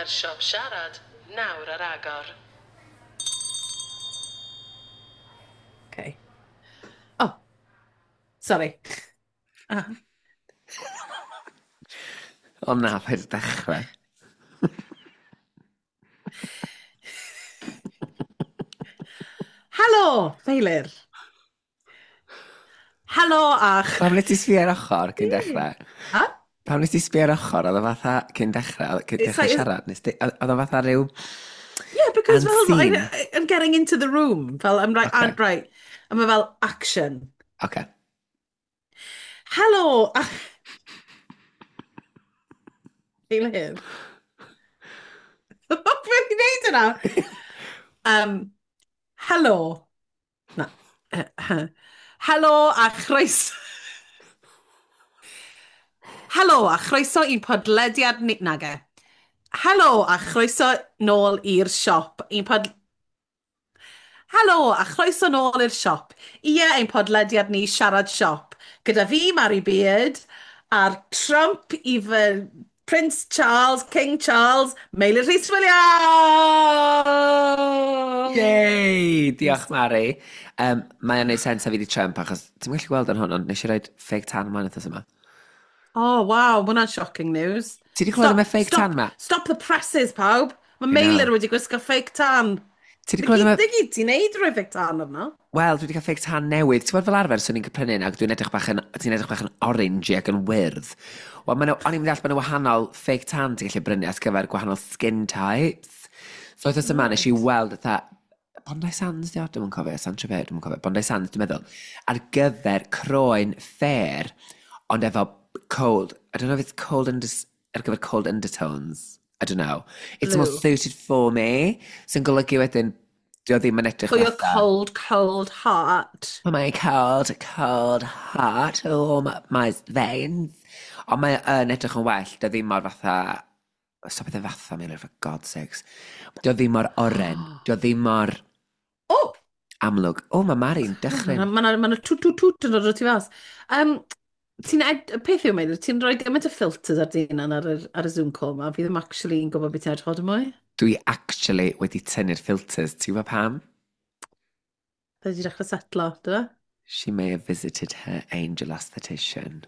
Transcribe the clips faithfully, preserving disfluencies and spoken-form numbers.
Siop Siarad, nawr ar agor. Okay. Oh, sorry. Ah. O na, paid dechrau. Helo, Meilir. Helo a... Pam nes ti sbio ar ochr cyn dechrau? Ha? Pam nes ti sbio ar ochr, oedd o fatha cyn dechrau, cyn It's dechrau like- siarad, nes ti, oedd o fatha rhyw... Yeah, because fel, Unseen. I, I'm getting into the room. Fel, I'm right, Okay. I'm right. A mae fel, action. Oce. Helo! a- Meilir. Beth i'n neud yna? Um, helo. Na. Helo a chroeso... Helo a chroeso i'n podlediad ni... Nage. Helo a chroeso nôl i'r siop. I'n pod... Helo a chroeso nôl i'r siop. Ie, ein podlediad ni Siarad Siop. Gyda fi, Mary Beard, a'r Trump i fy Prince Charles, King Charles, Meilir Rhys Williams! Yay! Diolch, Mari. Um, mae o'n neud sens a fi di Trump, achos ti'n gallu gweld yn hwn, ond nes i roid fake tan ymlaen wythnos yma. Oh, wow, ma hwnna'n shocking news. Ti di clywed am y fake stop, tan ma? Stop the presses, pawb. Mae I know. Meilir wedi gwisgo fake tan. Ti di Dy clywed am y... gyd ti'n neud rhoi fake tan arno? Wel, dwi wedi cael fake tan newydd. Ti'n gwybod fel arfer, swn i'n prynu un ac dwi'n edrych bach yn, ti'n edrych bach yn orangey ac yn wyrdd. Wel, ma' nhw, o'n i'n deall bod nhw wahanol fake tan ti'n gallu brynu at gyfer gwahanol skin types. So, wythnos yma, nes i weld fatha, Bondi Sands, di o? Dwi'm yn cofio, Saint-Tropez, dwi'm yn cofio. Bondi Sands, dwi'n meddwl. Ar gyfer croen fair, ond efo cold, I don't know if it's cold under, ar gyfer cold undertones. I don't know. It's more Blue. suited for me. Sy'n golygu wedyn, dio ddim yn edrych For your fatha- cold, cold heart. Oh my cold, cold heart, oh my, my veins. Ond mae yn edrych yn well, dio ddim mor fatha... Stop it fatha, Meilir, for God's sakes. Dio ddim mor oren, dio ddim mor Oh! amlwg. O, mae Mari'n dychryn. Mae yna ma twt twt twt yn dod o tu fas. Um, ti'n ed... Peth yw, Meilir, ti'n rhoi gymaint o filters ar dy hunan ar, yr- ar y Zoom call ma. Fi ddim actually yn gwybod beth ti'n edrych o mwy. Dwi actually wedi tynnu'r filters. Ti'n gwybod pam? Fe wedi dechrau setlo, do fe? She may have visited her angel aesthetician.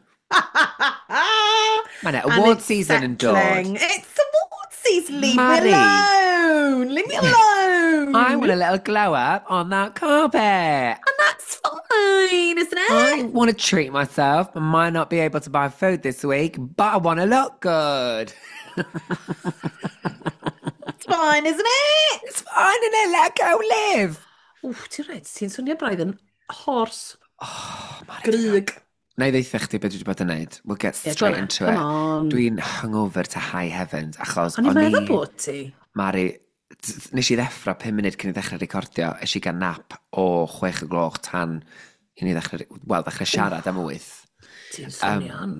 Mae yna And award it's season yn dod. settling. It's award season! Leave Mari. me alone! Leave me alone! I want a little glow up on that carpet. And that's fine, isn't it? I want to treat myself. I might not be able to buy food this week, but I want to look good. It's fine, isn't it? It's fine, innit? Let go live. Wff, ti'n rhaid, ti'n swnio braidd yn horse. Oh, Mari. Gryg. Na i ddeutha chdi beth dwi wedi bod yn neud. We'll get Yeah, go straight on, into come it. on. Dwi'n hungover to high heavens, achos O'n i'n o'n meddwl i... bod ti. Mari, t- nes i ddeffro pum munud cyn i ddechrau recordio, es i gael nap o chwech y gloch tan i ni ddechrau, wel, ddechrau siarad am wyth. Ti'n swnio'n.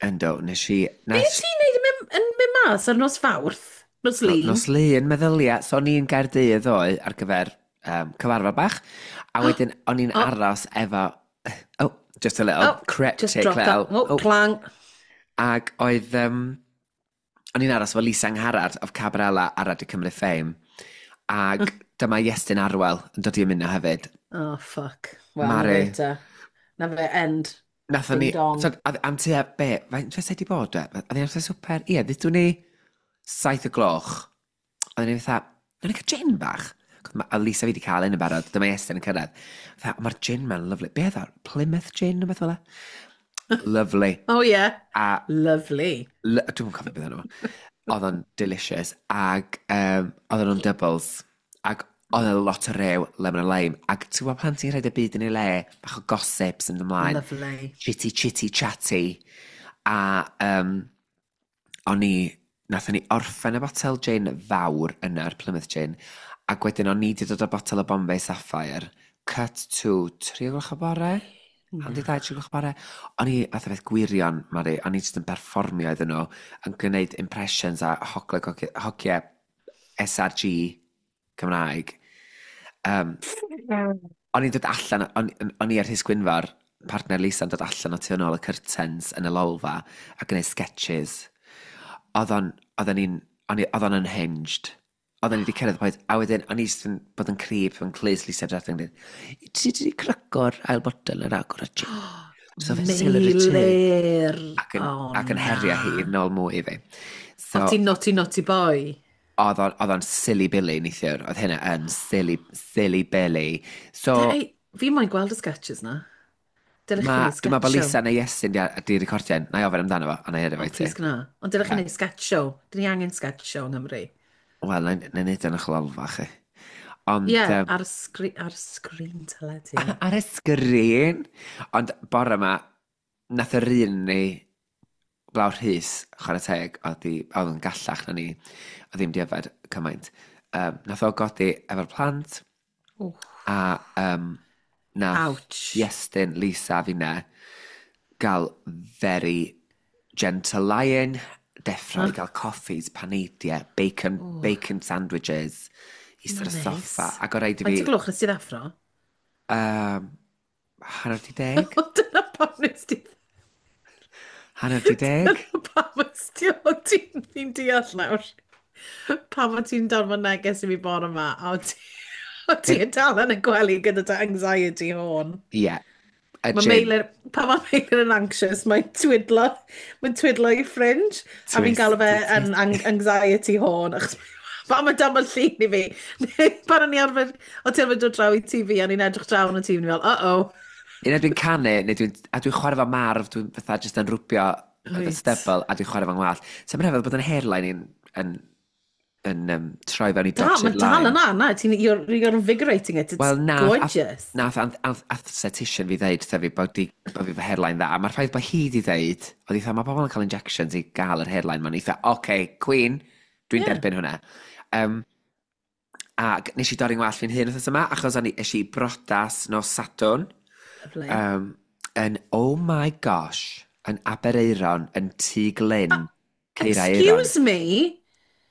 Ynddo, nes i... Be Nes, ti'n neud yn mynd- yn mynd mas ar nos Fawrth? Nos Lun? Nos Lun, meddylia. So o'n i'n Gaerdydd ddoe ar gyfer um, cyfarfod bach, a wedyn o'n i'n Oh. aros efo... Oh, just a little Oh, cryptic just dropped little... that. Oh, clang. Ac oedd... Um, o'n i'n aros efo Lisa Angharad of Cabarella ar Radio Cymru Fame. Ac dyma Iestyn Arwel yn dod i ymuno hefyd. Oh, fuck. Wel, na Mari. fe te. Na fe, end. Nathon ni... Ding dong. So, a- am tua be? Faint fysa di bod e? Oedd hi'n amser swper? Ie, ddudwn ni saith o gloch. Oedden ni fatha, nawn ni cael gin bach. Ma- A Lisa fi wedi cael un yn barod, dyma Iestyn yn cyrraedd. Fatha, "O, mae'r gin ma'n lovely. Be oedd o? Plymouth gin, neu beth fel e? Lovely. Oh, yeah. A Lovely. L- Dwi'm yn cofio beth o'n Oedd o'n delicious. Ac um, oedden nhw'n doubles. Ac oedd e lot o rew, lemon a lime. Ac ti'n gwybod pan ti'n rhaid y byd yn ei le, bach o gossips yn ymlaen. Lovely. Chitty, chitty, chatty. A um, o'n i, nathon ni orffen y botel gin fawr yna'r Plymouth gin. Ac wedyn o'n i wedi dod â botel o Bombay Sapphire. Cut to tri o gloch o bore? Hanner di dau, tri gloch o bore. O'n i fath o beth gwirion, Mari. O'n i jyst yn perfformio iddyn nhw, yn gwneud impressions a hogle hogiau S R G Cymraeg. Um, o'n i'n dod allan, o'n, o'n i ar Rhys Gwynfor, partner Lisa, yn dod allan o tu ôl y curtains yn y lolfa a gwneud sketches. Oedd o'n, oedden ni'n, O'n i, oedd o'n unhinged. Oedden ni wedi cyrraedd y pwynt, a wedyn, o'n i jyst yn bod yn creep, yn clust Lisa Dradling, dweud, ti wedi craco'r ail botel yn agor y gin? So fe Meilir! Ac yn, oh, ac yn herio hi nôl mwy i fi. So, o ti'n naughty naughty boy? Oedd o'n silly billy neithiwr. Oedd hynna yn silly, silly billy. So, Dei, fi moyn gweld y sketches na. Dylech chi wneud sketch show. Dwi'n meddwl bod Lisa neu Iestyn di recordio, na i ofyn amdano fo, a na i yrru fo i ti. Please gwna. Ond dylech chi wneud sketch show. Dyn ni angen sketch show yng Nghymru. Wel, na i wneud yn y chlolfa chi. Ond... Ie, yeah, um, ar, sgri ar sgrin teledu. Ar y sgrin! Ond bore yma, nath yr un ni, Blawr Rhys, chwarae teg, oedd oedd yn gallach na ni, oedd ddim di yfed cymaint. Um, nath o godi efo'r plant, Oof. a um, nath Ouch. Iestyn, Lisa, finne, gael very gentle lion, deffro i gael coffees, paneidiau, bacon, Ooh. bacon sandwiches, eistedd ar y soffa. Ac o rhaid i fi... Faint o gloch nes ti ddeffro? Um, hanner di deg. Dyna pam nes ti... Hanner di deg. Dyna pam nes ti... O ti'n deall nawr. Pam o ti'n danfon neges i fi bore yma, a o ti... O ti'n dal yn y gwely gyda dy anxiety horn. Ie. Yeah. Mae Meilir, pan mae Meilir yn anxious, mae'n twidlo, mae'n twidlo i ffrind. A fi'n galw fe yn anxiety horn, achos pan mae dam llun i fi. Pan o'n i arfer, o ti arfer dod draw i T V, a ni'n edrych draw yn y T V, ni'n fel, uh-oh. Un dwi'n canu, neu dwi'n, a dwi'n chwarae fo marf, dwi'n fatha jyst yn rwbio right. y stubble, a dwi'n chwarae fo'n ngwallt. So mae'n rhyfedd bod yn hairline i'n yn, yn um, troi fewn i dotted line. Mae dal yna, na, ti'n, you're, you're invigorating it, it's well, nath, gorgeous. Nath, nath aesthetician fi ddeud, wrtha fi, bod, di, bod fi fy hairline dda, a mae'r ffaith bod hi di ddeud, oedd eitha, mae pobl yn cael injections i gael yr hairline, mae'n eitha, oce, okay, queen, dwi'n yeah. derbyn hwnna. Um, ac nes i dorri'n wallt fi'n hun wythnos yma, achos o'n i eisiau i brodas nos Sadwrn. Lovely. Um, yn, oh my gosh, yn Aberaeron, yn Tŷ Glyn, Ceira Aeron. Excuse me?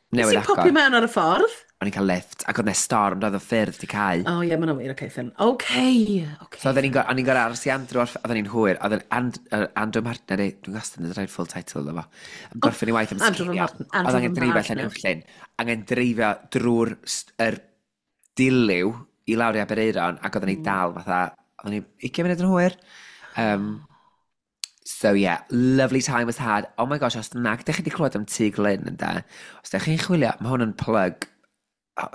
Nes i'n popio mewn ar y ffordd? O'n i'n cael lift, ac oedd 'na storm, doedd y ffyrdd di cau. O oh, ie, yeah, mae'n wir, oce, ffyn. Oce, oce. So oedden ni'n gorau aros i Andrew, oedden ni'n hwyr, oedd And, uh, Andrew Martin, dwi'n gwastad yn rhaid full title iddo fo. Yn gorffen i waith am sgidio. Oedd angen dreifio allan Uwchllyn, angen dreifio drwy'r er dilyw i lawr i Aberaeron, ac oedden ni dal fatha, oedden ni ugain munud yn hwyr. Um, So yeah, lovely time was had. Oh my gosh, os nag ydych chi wedi clywed am Tŷ Glyn ynde, os ydych chi'n chwilio, mae hwn yn plug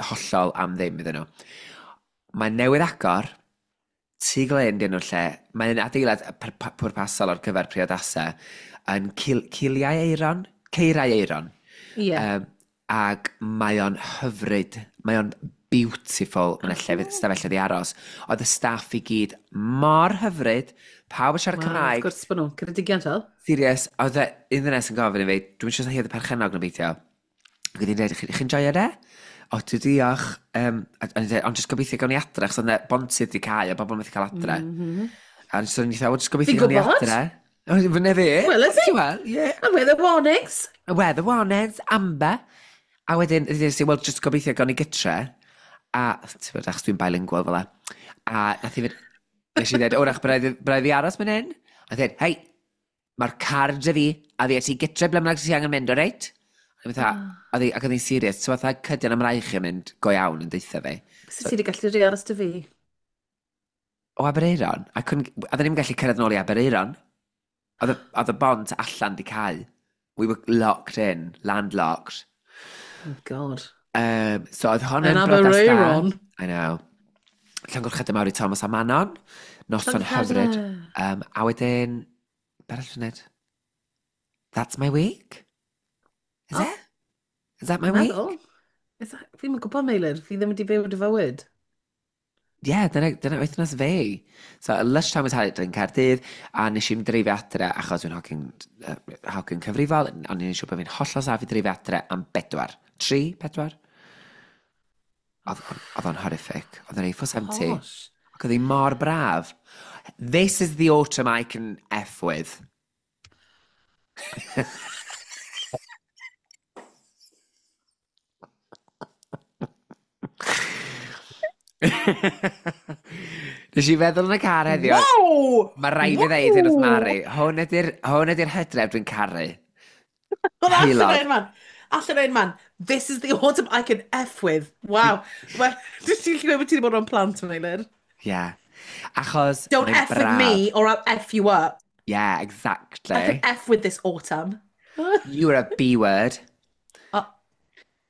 hollol am ddim iddyn nhw. Mae newydd agor, Tŷ Glyn dyn nhw'r lle, mae'n adeilad pwrpasol ar gyfer priodasau yn cil Ciliau Aeron, Ceirau Aeron. Ie. Yeah. Um, ac mae o'n hyfryd, mae o'n beautiful, mae'n lle stafelloedd i aros. Oedd y staff i gyd mor hyfryd, pawb yn siarad wow, Cymraeg. Wrth gwrs bod nhw, Ceredigion fel. Serious, oedd e, un ddynes yn gofyn i fi, dwi'n siŵr hi oedd y perchennog na beidio. Ac oedd hi'n dweud, chi'n joio de? O, dwi diolch. Um, a, a, a, ond jyst gobeithio gawn ni adre, achos oedd 'na bontydd di cau a bobl methu cael adre. Mm -hmm. A so o'n i dweud, jyst gobeithio gawn ni adre. Fyne fi. Wel, ydy. Wel, ie. And weather warnings. Weather warnings, amber. A wedyn, ydyn ni, wel, jyst gobeithio gawn ni gytre. A, ti'n bod, achos dwi'n bilingual fel 'a. A nath i fynd, nes i ddweud, wrach, braidd fi aros mynd hyn? A ddweud, hei, mae'r car dy fi, a fi ti gytre ble bynnag ti angen mynd, o reit? A fatha, oh. Ac oedd hi'n serious, so fatha cydion am raich yn mynd go iawn yn deutha fi. Sut ti wedi gallu rhi aros dy fi? O Aberaeron. A oedden ni'n gallu cyrraedd nôl i Aberaeron. Oedd y bont allan di cau. We were locked in, landlocked. Oh God. Um, so oedd hon yn brodas da. I know. Llongyfarchiadau mawr i Thomas a Manon. Noson hyfryd. Um, a wedyn, be arall dwi'n neud? That's my week. Is oh. it? Is that my week? Is that, fi'n gwybod, Meilir. Fi ddim wedi byw dy fywyd. Ie, yeah, dyna, dyna wythnos fi. So, a lush time was had yn Caerdydd, a nes i'n dreifio adre, achos dwi'n hogyn, uh, hogyn cyfrifol, ond ni'n siŵr bod fi'n hollol saff i dreifio adre am bedwar. Tri, pedwar? Oedd o'n horrific. Oedd o'n A four seventy. Ac oedd hi mor braf. This is the autumn I can F with. Nes i feddwl yn y car heddiw. Wow! Mae rhaid i ddeud hyn wrth Mari. Hwn ydy'r hwn ydy'r hydref dwi'n caru. Allan o'n man. Allan o'n man. This is the autumn I can F with. Wow. Well, ti'n gallu gweud bod ti wedi bod o'n plant, Meilir? Yeah. Achos Don't mae'n F with braf. me or I'll F you up. Yeah, I can exactly. F with this autumn. You are a B word. Oh.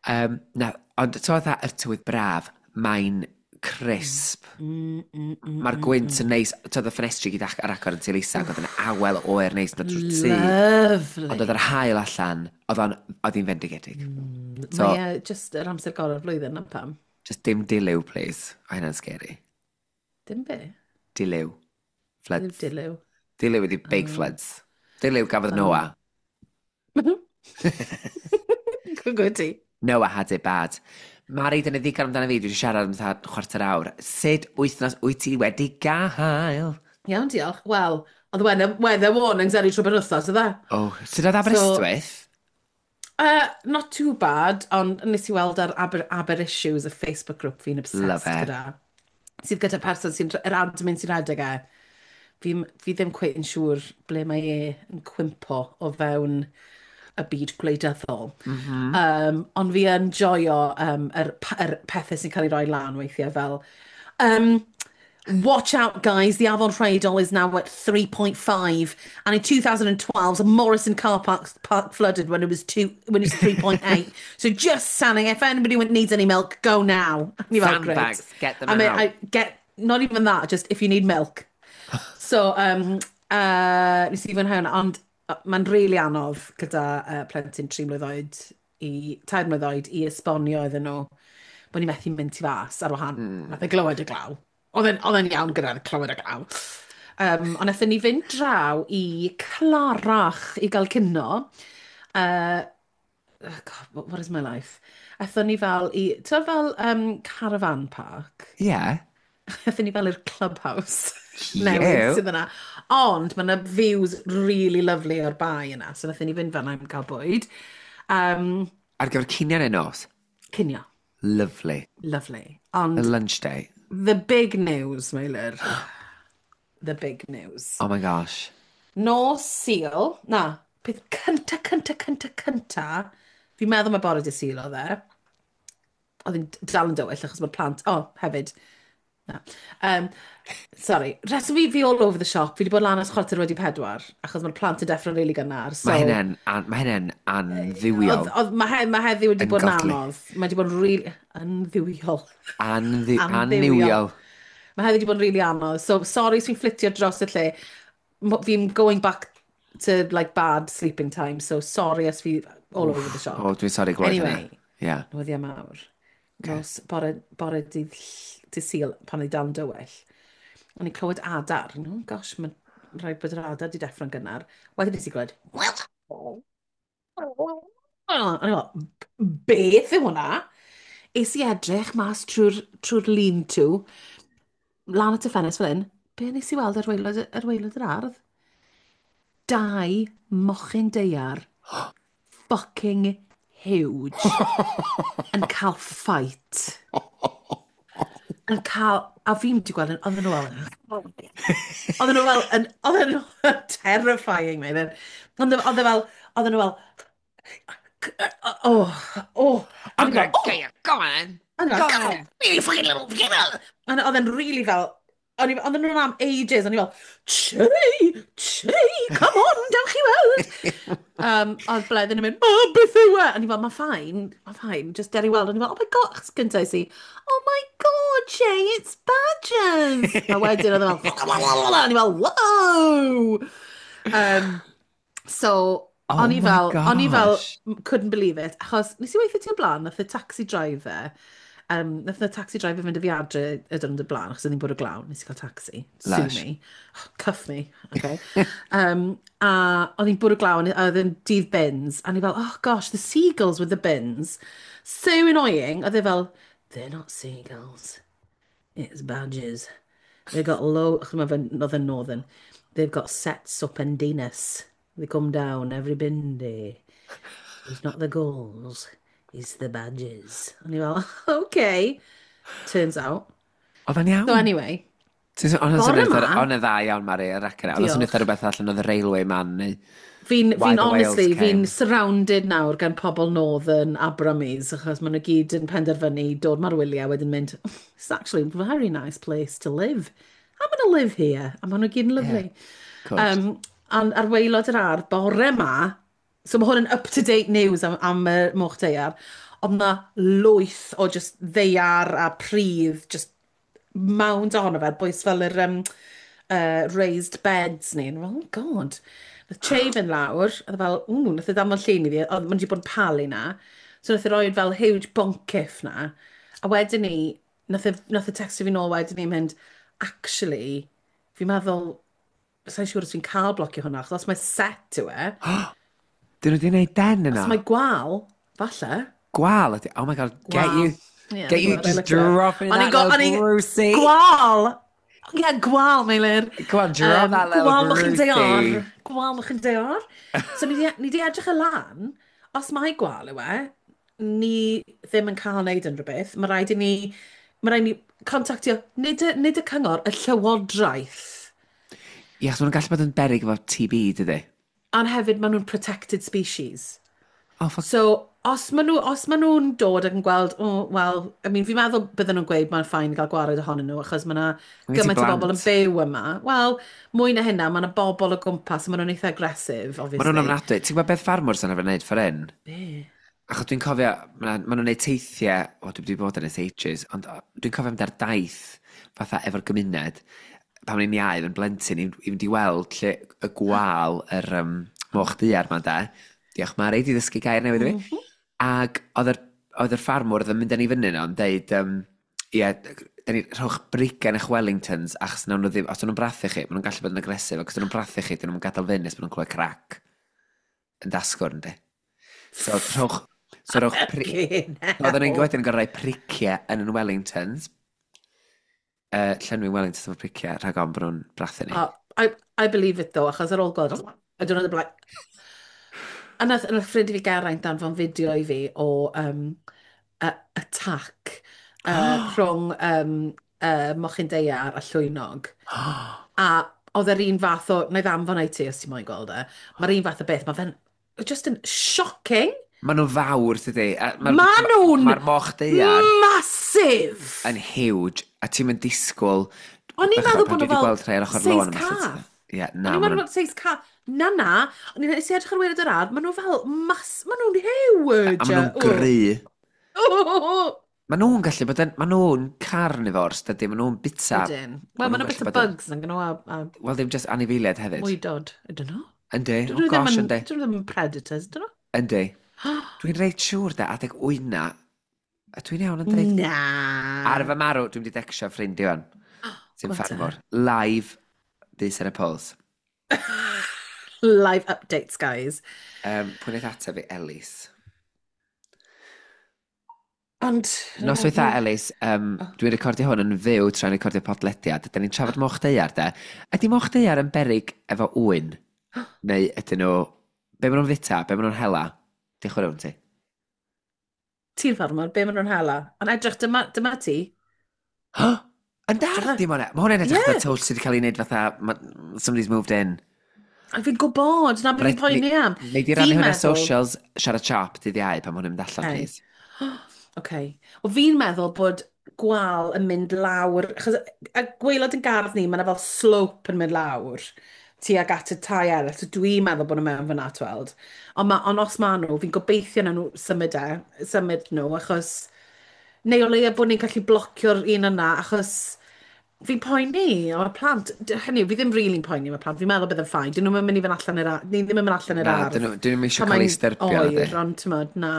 Um, na, ond to fatha y tywydd braf, mae'n crisp. Mm, mm, mm, Mae'r mm, gwynt mm. yn neis. Toedd y ffenestri gyd ar agor yn Tŷ Lisa, ac oedd yn awel oer neis yn dod drwy'r tŷ. Lovely. Ond oedd yr haul allan, oedd o'n, oedd hi'n fendigedig. Mm, So- Mae e just yr amser gorau'r flwyddyn, na pam. Just dim dilyw, please. O, hynna'n scary. Dim be? Dilyw. Dim Floods. dilyw. Dilyw ydi big Oh. floods. Dilyw gafodd Noah. Good good ti. Noah had it bad. Mari, dyna ddigon amdano fi, dwi wedi siarad am fatha chwarter awr. Sut wythnos wyt ti wedi gael? Iawn, diolch. Wel, oedd weather, weather warnings ar ei trwy penwythnos, oedd e? Oh, sut oedd Aberystwyth? Uh, not too bad, ond nes i weld ar Aber, Aber Issues, y Facebook group fi'n obsessed Love it. gyda. Sydd gyda person sy'n, yr admin sy'n rhedeg e. Fi, fi ddim cweit yn siŵr ble mae e yn cwympo o fewn y byd gwleidyddol. Mm -hmm. um, ond fi yn joio um, yr, yr pethau sy'n cael ei roi lan weithiau fel um, "Watch out, guys, the Afon Rheidol is now at three point five and in twenty twelve the Morrison car park, park flooded when it was two, when it was three point eight. So just saying, if anybody needs any milk, go now." Ni fel, "Great." Sandbags, get them I mean, out. I get, not even that, just if you need milk. So, um, uh, nes i fwynhau hwnna, ond uh, mae'n rili anodd gyda uh, plentyn tri mlwydd oed i, tair mlwydd oed i esbonio iddyn nhw bod ni methu mynd tu fas ar wahân. Mm. Nath e glywed y glaw. Oedd e'n oedd e'n iawn gyda clywed y glaw. Um, ond nathon ni fynd draw i Clarach i gael cinio. Uh, oh God, what, what is my life? Aethon ni fel i, ti'n fel um, caravan park? Yeah. Aethon ni fel i'r clubhouse Cute. newydd sydd yna. Ond mae yna views really lovely o'r bae yna, so nathon ni fynd fan'na am gael bwyd. Um, Ar gyfer cinio neu nos? Cinio. Lovely. Lovely. A Ond lunch day. The big news, Meilir. The big news. Oh my gosh. Nos Sul, na, peth cynta, cynta, cynta, cynta, fi'n meddwl mae bore dydd Sul oedd e. Oedd hi'n dal yn dywyll achos mae'r plant, oh, hefyd. Na. Um, sorry, rheswm fi, fi all over the shop, fi wedi bod lan ers chwarter wedi pedwar, achos mae'r plant yn deffro'n rili gynnar. So, Mae hynna'n an, mae hynna'n andduwiol. Oedd, oedd, mae, he, mae heddiw wedi bod yn Ungodly. anodd. Mae wedi bod yn rili andduwiol. Anddi, Andduwiol. annuwiol. Mae heddiw wedi bod yn rili anodd. So, sorry os fi'n fflitio dros y lle. Mo- Fi'n going back to like bad sleeping time, so sorry os fi all over the shop. O, dwi'n sori glywed Anyway. hynna. Yeah. Newyddion mawr. Nos, bore, bore dydd, ll- dydd Sul, pan oedd dal yn dywyll. O'n i'n clywed adar. Oh gosh, mae'n rhaid bod yr adar wedi deffro'n gynnar. Wedyn nes i glywed. O'n i'n fel, "Beth yw hwnna?" Es i edrych mas trwy'r trwy lean-to, lan at y ffenest fel hyn. Be nes i weld ar waelod, ar waelod yr ardd? Dau mochyn daear fucking huge yn cael fight. Yn cael, a fi'n wedi gweld yn, oedden nhw fel, oedden nhw fel, yn, oedden nhw terrifying me. Ond oedd e fel, oedden nhw fel, oh, oh. I'm gonna get you, go on! Go Go on! Really fucking little, and oedd e'n really fel, o'n i- oedden nhw'n am ages, o'n i fel, "Che, che, come on, dewch i weld." um, oedd Bleddyn yn mynd, "Oh, beth yw e?" O'n i fel, "Mae'n fine, mae'n fine, just der i weld." O'n i fel, "Oh my God," achos gyntaf i, "Oh my God, Jay, it's badgers." A wedyn oedd e fel, o'n i fel, "Whoa!" Um, so, Oh o'n i my fel, o'n i fel, gosh. couldn't believe it, achos nes i weithio ti o blaen, nath y taxi driver, um, nath y taxi driver fynd â fi adre y diwrnod y blaen, achos oedd hi'n bwrw glaw, nes i cael taxi. Sue Lush. me. Cuff me, okay. um, a oedd hi'n bwrw glaw, a oedd yn dydd bins, a ni fel, "Oh gosh, the seagulls with the bins. So annoying." Oedd e fel, "They're not seagulls. It's badgers. They've got low," achos mae fe'n, oedd yn northern, "they've got sets up in Dinas. They come down every bin day. It's not the gulls, it's the badgers." O'n i fel, "Okay." Turns out. Oedd o'n iawn? So anyway, Ti'n- Ond o'n bore swnio ma- o'n y dda iawn, Mari, yr acen. Oedd o'n swnio Diolch. rhywbeth allan oedd y Railway Man neu. Fi'n, Why fi'n the whales honestly, fi'n came. surrounded nawr gan pobl Northern a Brummies, achos maen nhw gyd yn penderfynu dod ma'r wyliau wedyn mynd, "It's actually a very nice place to live. I'm gonna live here." A maen nhw gyd yn Yeah, lyfli. of course. Um, ond ar waelod yr ardd, bore ma, so mae hwn yn up-to-date news am, am y moch daear, oedd na lwyth o just ddaear a pridd, just mound ohono fe, bwys fel yr um, uh, raised beds ni. And oh God. Nath Che fynd lawr, a oedd e fel, ww, nath e danfon llun i fi, oedd ma'n wedi bod yn palu na. So nath e roed fel huge boncyff na. A wedyn ni, nath e, nath e textio fi nôl wedyn ni mynd, "Actually, fi'n meddwl, sa'n siŵr os fi'n cael blocio hwnna, achos os mae set yw e, Dyn nhw wedi gwneud den os yna? mae gwal, falle." Gwal ydi. Oh my God, get Gwal. you, Yeah, get you I just looked it up. dropping O'n that i'n go, little o'n i'n... Brucey. Gwal! Ie, yeah, gwal, Meilir. Come on, drop Um, that little gwal mochyn Brucey. daear. Gwal mochyn daear. So ni di, ni di edrych y lan, os mae gwal yw e, ni ddim yn cael wneud unrhyw beth. Mae rhaid i ni, mae rhaid i ni contactio, nid y, nid y cyngor, y llywodraeth. Ie, achos maen nhw'n gallu bod yn beryg efo T B, dydy? Ond hefyd maen nhw'n protected species. Oh, fuck. So, os maen nhw, os maen nhw'n dod ac yn gweld, oh, well, I mean, fi'n meddwl bydden nhw'n gweud mae'n fine gael gwared ohonyn nhw, achos mae yna Mae gen ti gymaint o bobl yn blant. byw yma. Wel, mwy na hynna, mae yna bobl o gwmpas, a maen nhw'n eitha aggressive, Maen nhw'n obviously. ofnadwy. Ti'n gwybod beth ffarmwrs yn arfer wneud ffordd hyn? Be? Achos dwi'n cofio, maen nhw'n gwneud teithiau, o, dwi wedi bod yn ers ages, ond o, dwi'n cofio mynd ar daith fatha efo'r gymuned, pan o'n i'n iau yn blentyn, i, i fynd i weld lle y gwal yr um, moch daear 'ma de. Diolch Mari, di ddysgu gair newydd i fi. Mm -hmm. Ac oedd yr, oedd yr ffarmwr oedd yn mynd â ni fyny yno yn deud, um, ie, da ni rhowch brigau yn eich Wellingtons, achos nawn nhw ddim, os nhw'n brathu chi, maen nhw'n gallu bod yn aggressive, ac os nhw'n brathu chi, dyn nhw'n gadael fynd nes maen nhw'n clywed crac yn dasgwrn, di. So, rhowch, so rhowch pri... Fucking Oedden ni'n hell. wedyn yn gorfod rhoi priciau yn yn Wellingtons. Uh, llenwi Wellingtons efo priciau, rhag ofn bod nhw'n brathu ni. Oh, I, I believe it though, achos ar ôl gweld, I don't know, the like. A nath, nath ffrind i fi Geraint danfon fideo i fi o um, a, attack uh, rhwng um, uh, mochyn daear a llwynog. A oedd yr un fath o, na i ddanfon i ti os ti'n moyn gweld e, mae'r un fath o beth, mae fe'n just yn shocking. Maen nhw'n fawr, dydy. Mae'r Ma nhw'n ma moch daear massive! yn huge, a ti'n mynd disgwyl. O'n i'n Bechod, meddwl pan bod dwi nhw wedi fel gweld rhai ar ochr lôn seis yma, lle cath. ti- Ie, O'n na, i'n maen meddwl nhw'n bod seis cath. Na, na. O'n i'n nes i edrych ar waelod yr ardd, maen nhw fel mas... Maen nhw'n huge. A maen nhw'n gry. Oh. Maen nhw'n gallu bod yn... Maen nhw'n carnivores, dydy. Maen nhw'n bita. Ydyn. Wel, maen nhw'n nhw'n gallu bita bod yn bugs yn gynnu a, a Wel, ddim just anifeiliaid hefyd. Mwydod. I don't know. Yndi. Dyn Oh nhw ddim gosh, yn, yndi. dyn nhw ddim yn predators, dyn nhw? Yndi. Dwi'n reit siŵr de, adeg wyna, a dwi'n iawn yn dweud. Na. Ar fy marw, dwi'n wedi tecsio ffrind i fan. Sy'n Go on te. ffarmwr. Live, bys ar y pols. Live updates, guys. Um, pwy wnaeth ateb fi? Elis. Ond Noswaith dda, Elis. Um, dwi'n recordio hwn yn fyw tra'n recordio podlediad. Da ni'n trafod moch daear, de. Ydy moch daear yn berig efo ŵyn? Neu ydyn nhw... Be maen nhw'n fita? Be maen nhw'n hela? Diolch yn fawr ti. Ti'n ffarmwr, be maen nhw'n hela? Ond edrych, dyma, dyma ti. Yn dar, dim hwnna. Mae hwnna'n edrych Ie. fatha twll sydd wedi cael ei wneud fatha ma- somebody's moved in. A fi'n gwybod, na beth fi'n Reit, poeni am. Nei di rannu Fi'n hwnna meddwl socials, siarad siop dydd Iau pan ma' hwn yn mynd allan, Okay. please. Okay. O, fi'n meddwl bod gwal yn mynd lawr, achos y gwaelod yn gardd ni, mae yna fel slope yn mynd lawr tuag at y tai eraill, so dwi'n meddwl bod nhw mewn fyna, tweld. Ond, ma, ond os ma nhw, fi'n gobeithio na nhw symud e, symud nhw, achos neu o leia bod ni'n gallu blocio'r un yna, achos fi'n poeni am y plant. D- Hynny yw, fi ddim really'n poeni am y plant, fi'n meddwl bydd yn fine. Dyn nhw'n mynd i fynd allan i'r ar- ni ddim yn mynd allan i'r Na, ardd dyn nhw dyn nhw'm eisiau pan cael eu mae'n styrbio, na oer, di. Ond ti'mod, na.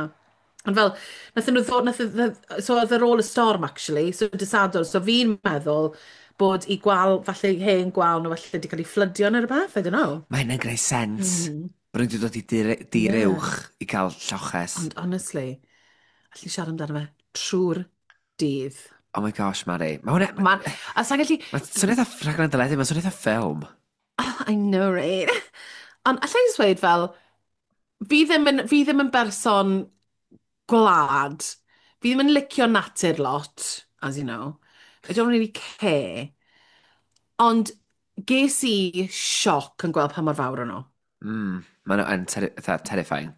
Ond fel, nathon nhw ddod, nath, so oedd ar ôl y storm, actually, so dydd Sadwrn, so fi'n meddwl bod i gwal, falle hen gwal nhw falle wedi cael ei fflydio neu rhywbeth, I don't know. Mae hynna'n gwneud sens. Mm. Bod nhw wedi dod i dir, dir Yeah. uwch i gael lloches. Ond honestly, allu siarad amdano fe trwy'r dydd. Oh my gosh, Mari. Mae hwnna Ma, a sa'n gallu Mae'n swnio eitha rhaglen deledu, mae'n swnio eitha ffilm. I know, right? Ond allai jyst dweud fel, fi ddim yn, fi ddim yn berson gwlad. Fi ddim yn licio natur lot, as you know. I don't really care. Ond ges i sioc yn gweld pa mor fawr o'n nhw. Mm, maen nhw yn terri fatha terrifying.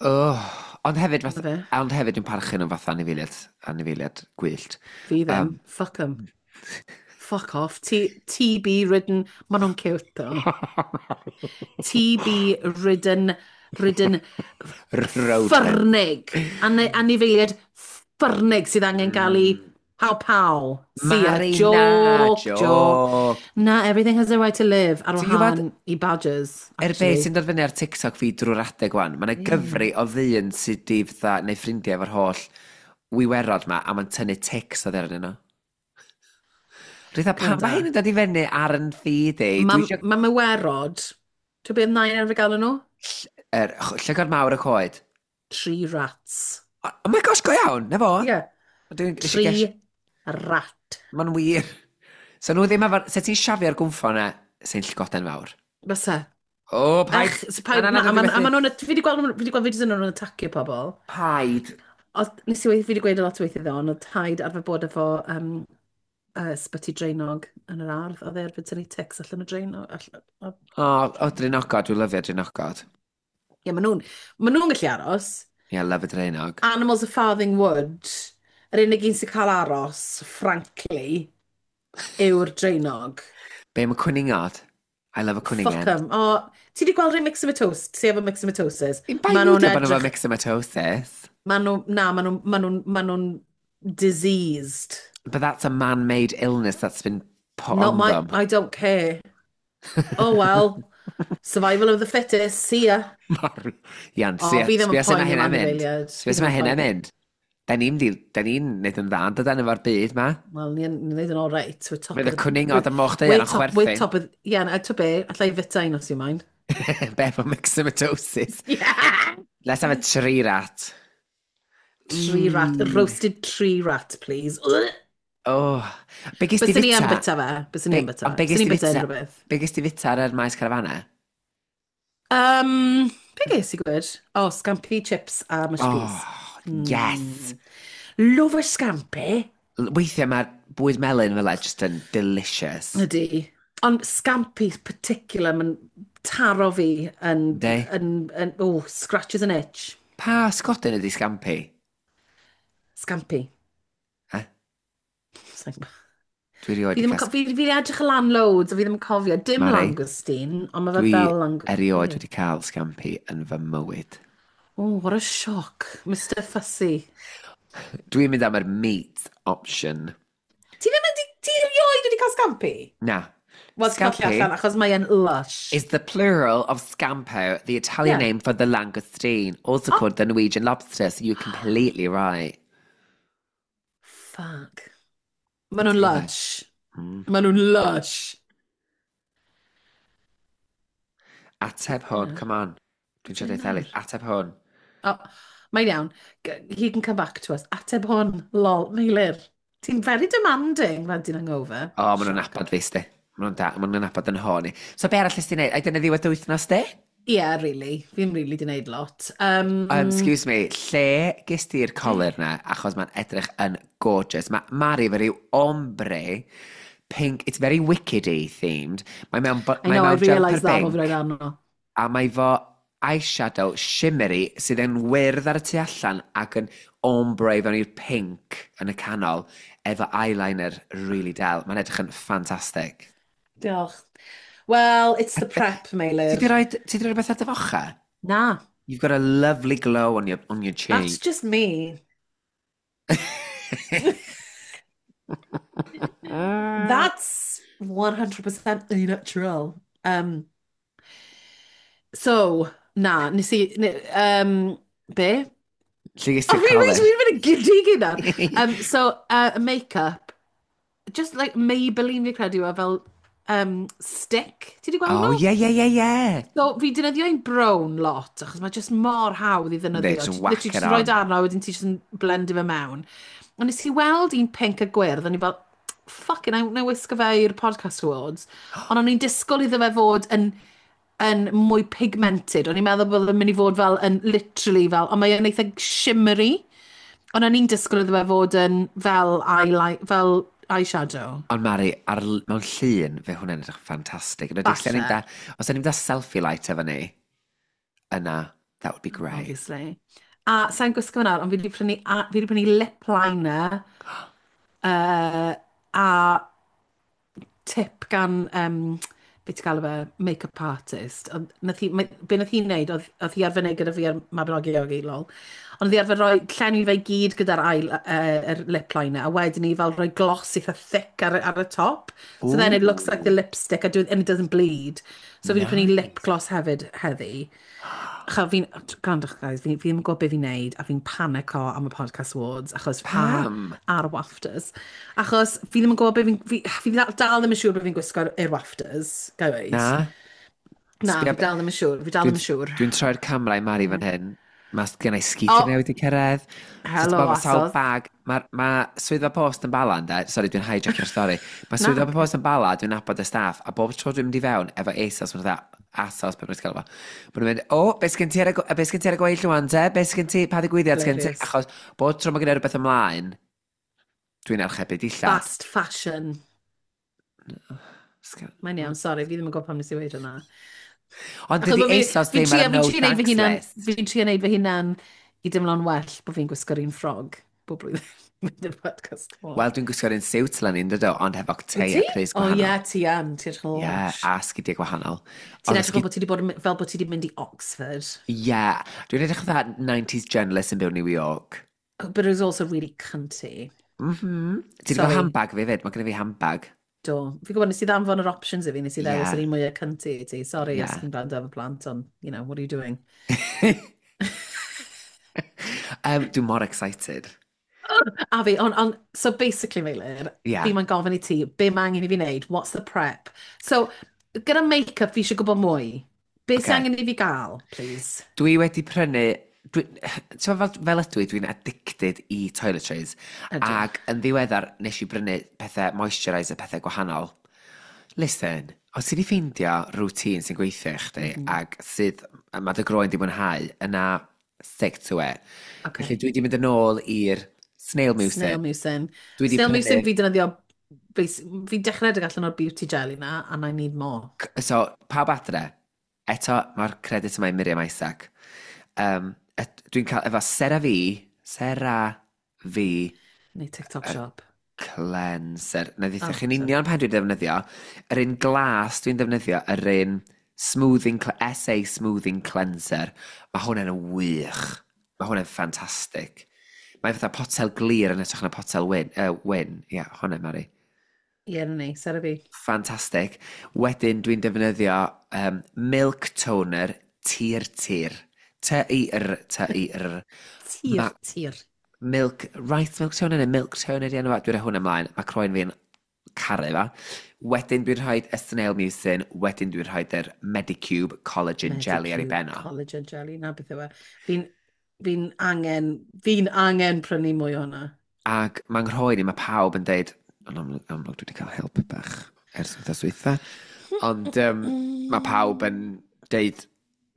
Oh, ond hefyd, Ma fath, fe. ond hefyd dwi'n parchu nhw fatha anifeiliaid, anifeiliaid gwyllt. Fi ddim. Um, Fuck 'em. Fuck off. T TB ridden. Maen nhw'n cute though. TB ridden, ridden Rodent. ffyrnig. Ane, anifeiliaid ffyrnig sydd angen gael ei pow pow. See ya. Mari, na, Joke, joke. joke. Na, everything has a right to live ar Ti'n gwbod- wahân i badgers. Er beth actually. sy'n dod fyny ar TikTok fi drwy'r adeg wan, mae yna gyfri o ddyn sydd di fatha, neu ffrindiau efo'r holl wiwerod ma, a mae'n tynnu tics oddi arnyn nhw. Rwy'n pam Gwranda. mae hyn yn dod i fyny ar yn feed i? Mae Dwi isio... ma mywerod, ti'n beth nain arfer gael nhw? Er, llygod mawr y coed. Tree rats. Oh, oh my gosh, go iawn, na fo. Ie. Yeah. Dwi'n eisiau Tree ges... rat. Mae'n wir. So nhw ddim efo... Se ti'n siafio'r gwmffon na, sy'n llygoden fawr. Byse. O, paid... Ech, so paid, Na, na, na, na, a dwi ma- a methu. ma' nhw'n, fi wedi gweld, fi wedi gweld fideos yn nhw'n atacio pobl. Paid. Oedd, nes i, fi wedi gweud a lot o weithiau ddo, ond oedd taid arfer bod efo um, uh, sbyty draenog yn yr ardd. Oedd e arfer tynnu tics allan o draenog. Allan, o- O, o, draenogod, dwi'n lyfio draenogod. Ie, maen nhw'n ma nhw'n gallu aros. Ie, yeah, love y draenog. Animals of Farthing Wood, yr unig un sy'n cael aros, frankly, yw'r draenog. Be am y cwningod? I love a Fuck cwningen. 'em. O, ti wedi gweld rhai myxomatosis? Ti efo myxomatosis? Fi'n bai Ma' nhw nhw'n bod nhw efo edrych... myxomatosis. Ma' nhw... Na, maen nhw, ma nhw'n ma nhw'n diseased. But that's a man-made illness that's been put Not on my... them. I don't care. Oh well. Survival of the fittest. See ya. Mari. Iawn, O, sbia fi ddim yn sbia sut mae poeni am hynna'n mynd. anifeiliaid. Sbia Fi sut ddim mae yn hynna'n poeni. mynd. Da ni'n di, da ni'n neud yn dda, dydan efo'r byd ma. Wel, ni'n ni'n neud yn all right. We're top Fydd of y the... cwningod We're, y moch daear we're yn top, we're chwerthin. top of... Yeah, na, to be, allai fita un os you mind. Be efo myxomatosis. Yeah! Let's have a tree rat. Tree rat. Mm. Roasted tree rat, please. Ugh. Oh. Be gys ti Byswn i yn fita? bita fe. Byswn i Be, yn bita ond fe. be gys Byswn ti i'n bita fita? unrhyw beth. Be gys ti fita ar yr maes carafana? Um, be ges i gwyd? Oh, scampi chips a mashed peas. Oh, yes. Mm. Love a scampi. Weithiau mae'r bwyd melyn fel e just yn delicious. Ydy. Ond scampi particular, mae'n taro fi yn, Yndi? yn, yn, oh, scratches an itch. Pa sgodyn ydi scampi? Scampi. Eh? Sa i'n gwbod. Dwi erioed Fi wedi ddim yn, cael... co- fi, fi 'di edrych y lan loads, a fi ddim yn cofio. Dim Mari, langoustine, ond mae fe dwi fel langoustine. erioed wedi cael scampi yn fy mywyd. Oh, what a shock. Mr Fussy. Dwi'n mynd am yr meat option. Ti ddim yn, ti erioed wedi cael scampi? Na. Wel, ti'n colli Scampi allan, achos mae e'n lush. is the plural of scampo, the Italian Yeah. name for the langoustine, also Oh, called the Norwegian lobster, so you're completely right. fuck. Maen nhw'n Ti lush. Mm. Maen nhw'n lush. Ateb hwn, Yeah. come on. Dwi'n siarad Be eitha Ellis. nawr? Ateb hwn. Oh, mae'n iawn. G- He can come back to us. Ateb hwn, lol, Meilir. Ti'n very demanding pan ti'n hungover. O, oh, maen nhw'n Shock. nabod fi, sti. Maen nhw'n da, maen nhw'n nabod yn hon i. So be arall nes ti wneud? Ai dyna ddiwedd dy wythnos di? Yeah, really. Fi ddim really di wneud lot. Um, Um, excuse me, lle ges ti'r colur na? Achos mae'n edrych yn gorgeous. Mae Mari efo ryw ombre pink, it's very wickedy themed. Mae mewn, bo- I mae know, I mewn jumper realised that o pink fi roed arno. a mae fo eyeshadow shimmery sydd yn wyrdd ar y tu allan ac yn ombre fewn i'r pink yn y canol efo eyeliner really del. Mae'n edrych yn ffantastig. Diolch. Well, it's the prep, Ti Meilir. di roi, ti di roi rhywbeth ar dy focha? Na, You've got a lovely glow on your, on your that's cheek. just me. That's one hundred percent natural. Um, so, na, nes i... ne- Um, be? Lle ges O, ti'r fi wedi colur? fi'n mynd yn giddy gyda. Um, so, uh, make-up, just like Maybelline fi credu yw e fel um, stick. Ti wedi gweld Oh, nhw? yeah, yeah, yeah, yeah. So, fi defnyddio un brown lot, achos mae just mor hawdd i They ddefnyddio. just Ti- whack Literally, it just rhoi on. arno, wedyn ti just yn blendio fe mewn. Ond nes i weld un pink a gwyrdd, o'n i fel, fucking, na i wisgo fe i'r podcast awards. Ond o'n i'n disgwyl iddo fe fod yn, yn mwy pigmented. O'n i'n meddwl bod yn mynd i fod fel yn literally fel, ond mae o'n eitha shimmery. Ond o'n i'n disgwyl iddo fe fod yn fel eyeliner, fel eyeshadow. Ond Mari, ar, mewn llun, fe hwnna'n edrych yn ffantastig. Yn enwedig lle ni'n Falle. da, os ni'n da selfie light efo ni, yna, that would be great. Obviously. A sa'n gwisgo fe nawr, ond fi wedi prynu, a, fi wedi prynu lip liner uh, a tip gan, um, beth ti'n galw fe, make-up artist. Ond nath hi, mae- be nath hi'n neud, oedd, oedd hi arfer neud gyda fi ar Mabinogi Yogi, lol. Ond oedd hi arfer rhoi llenwi fe i gyd gyda'r ail, uh, yr lip liner, a wedyn ni fel rhoi gloss eitha thick ar, ar y top. So then it looks like the lipstick a do, and it doesn't bleed. So fi wedi prynu lip Nice. gloss hefyd heddi. Cha, fi'n, gwrandwch guys, fi, fi ddim yn gwybod beth fi'n neud, a fi'n panico am y podcast awards, achos a, Pam? a'r WAFTAs. Achos fi ddim yn gwybod beth fi'n, fi, fi dal, dal ddim yn siŵr beth fi'n gwisgo i'r WAFTAs, ga i weud. Na? Na, Sbia fi dal ddim yn siŵr, fi dal Dwi'n ddim yn siŵr. dwi'n troi'r camera i Mari fan hyn. Mae gen i sgidiau O, newydd i cyrraedd. So, helo, ti'n bod, sawl asodd. bag. Mae ma swyddfa post yn Bala, ynde? Sorry, dwi'n hijackio'r stori. Mae Na, swyddfa post yn Bala, dwi'n nabod y staff, a bob tro dwi'n mynd i fewn efo ASOS, maen nhw'n dda, ASOS, beth mae'n gael fo. Maen nhw'n mynd, o, beth sgen ti ar y, go- beth sgen ti ar y gweill rwan, te? Beth sgen ti, pa ddigwyddiad sgen ti? Hilarious. Achos bob tro mae gen i rhywbeth ymlaen, dwi'n archebu dillad. Fast fashion. Sgen- Mae'n iawn, sorry, fi ddim yn gwybod pam nes i weud hwnna. Ond Achos dydy bod fi, ASOS fi'n ddim ar trio, y fi'n no trio neud fy thanks hunan, list. fi'n trio neud fy hunan i dimlo'n well bod fi'n gwisgo'r un ffrog bob blwyddyn. Mynd i'r podcast Wel, award. dwi'n gwisgo'r un siwt leni, yn dydw, ond hefo Wyt tei ti? a crys O ie, gwahanol. ti yn, ti'n edrych yn Ie, lush. a sgidiau gwahanol. Ti'n Ond y edrych fel sgid... bod ti wedi bod yn, fel bod ti wedi mynd i Oxford. Ie, dwi'n edrych fatha nineties journalist yn byw New York. But it was also really cunty. Mhm. Ti wedi gweld Sorry. handbag fi fyd? Mae gen i fi handbag. Do. Fi'n gwybod nes i ddanfon yr options i fi, nes i ddewis Ie, yr un mwyaf cunty i ti. Sorry ie. os chi'n gwrando efo plant, ond, you know, what are you doing? um, dwi'n mor excited. A fi, on, on, so basically, Meilir, Ie. fi mae'n gofyn i ti, be mae angen i fi wneud? What's the prep? So, gyda make-up, fi eisiau gwybod mwy. Be sy'n Okay. angen i fi gael, please? Dwi wedi prynu... Dwi, ti'n fel, fel ydw i, dwi'n addicted i toiletries. Ydw. Ac yn ddiweddar, nes i brynu pethau moisturiser, pethau gwahanol. Listen, os ti wedi ffeindio routine sy'n gweithio i chdi Mm -hmm. ac sydd, mae dy groen di mwynhau, yna stick to it. Okay. Felly dwi wedi mynd yn ôl i'r snail mucin. Snail mucin. Dwi wedi Snail prynu... mucin fi defnyddio, fi dechrau edrych allan o'r beauty jelly na, and I need more. So, pawb adre, eto mae'r credit yma i Miriam Isaac. Um, dwi'n cael efo CeraVe, CeraVe Neu TikTok shop. Cleanser. Na ddeitha Oh, chi'n sorry. union pan dwi'n defnyddio. Yr un glas dwi'n defnyddio, yr un smoothing, S A Smoothing Cleanser. Mae hwnna'n wych. Mae hwnna'n ffantastig. Mae fatha potel glir yn edrych na potel wyn. Uh, wyn. Ie, yeah, hwnna, Mari. Ie, yeah, na ni, CeraVe. Ffantastig. Wedyn dwi'n defnyddio um, milk toner Tir Tir. T I R, T I R. Tir, Ma tir. Milk, rice milk toner neu milk toner di enw fo. Dwi'n rhoi hwnna ymlaen. Mae croen fi'n caru fa. Wedyn dwi'n rhoi y snail mucin, wedyn dwi'n rhoi yr Medicube collagen jelly ar ei Medicube ben o. Collagen jelly, na beth yw e. Fi'n fi angen, fi'n angen prynu mwy o hwnna. Ac mae'n nghroen i, mae pawb yn deud, yn amlwg, amlwg dwi wedi cael help bach ers wythnos dwytha, ond um, mae pawb yn deud,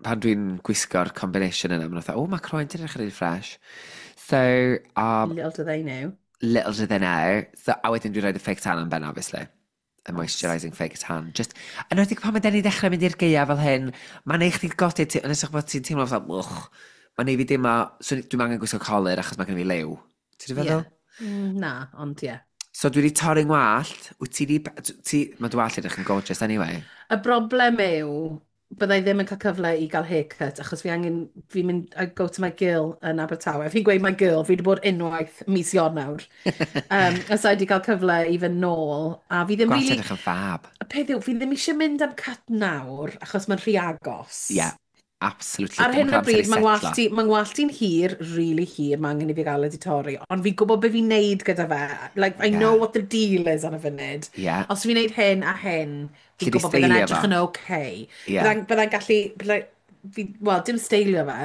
pan dwi'n gwisgo'r combination yna, maen nhw'n fatha, "O, mae croen ti'n edrych yn really fresh." So, um, Little do they know. Little do they know. So, a wedyn dwi'n rhoi y fake tan am ben, obviously. Y moisturising fake tan. Just, yn enwedig pan mae den ni dechrau mynd i'r gaeaf fel hyn, mae'n neud chdi godi, ti- yn ysach bod ti'n teimlo fatha, wch, mae'n neud fi deimlo, so dwi'n angen gwisgo colur achos mae gen i fi liw. Ti'n Ie. feddwl? Mm, na, ond ie. So dwi wedi torri ngwallt, wyt ti di, ti, mae dy wallt edrych yn gorgeous anyway. Y broblem yw, byddai ddim yn cael cyfle i gael haircut, achos fi angen, fi'n mynd, I go to my girl yn Abertawe. Fi'n gweud my girl, fi wedi bod unwaith mis Ionawr. Um, a so i wedi cael cyfle i fynd nôl, a fi ddim Gwallt really. edrych yn fab. Y peth yw, fi ddim eisiau mynd am cut nawr, achos mae'n rhy agos. Yeah, absolutely. Ar Dwi'm hyn yn o cael amser i bryd, mae'n setlo. ngwallt i, ma ngwallt i'n hir, really hir, mae angen i fi gael wedi torri. Ond fi'n gwybod beth fi'n neud gyda fe. Like, I Yeah. know what the deal is ar y funud. Yeah. Os fi'n neud hyn a hyn, fi'n Alli di gwybod bydd yn steilio edrych fo. yn okay. Yeah. Byddai'n byddai'n gallu, byddai, fi, well, dim steilio fe.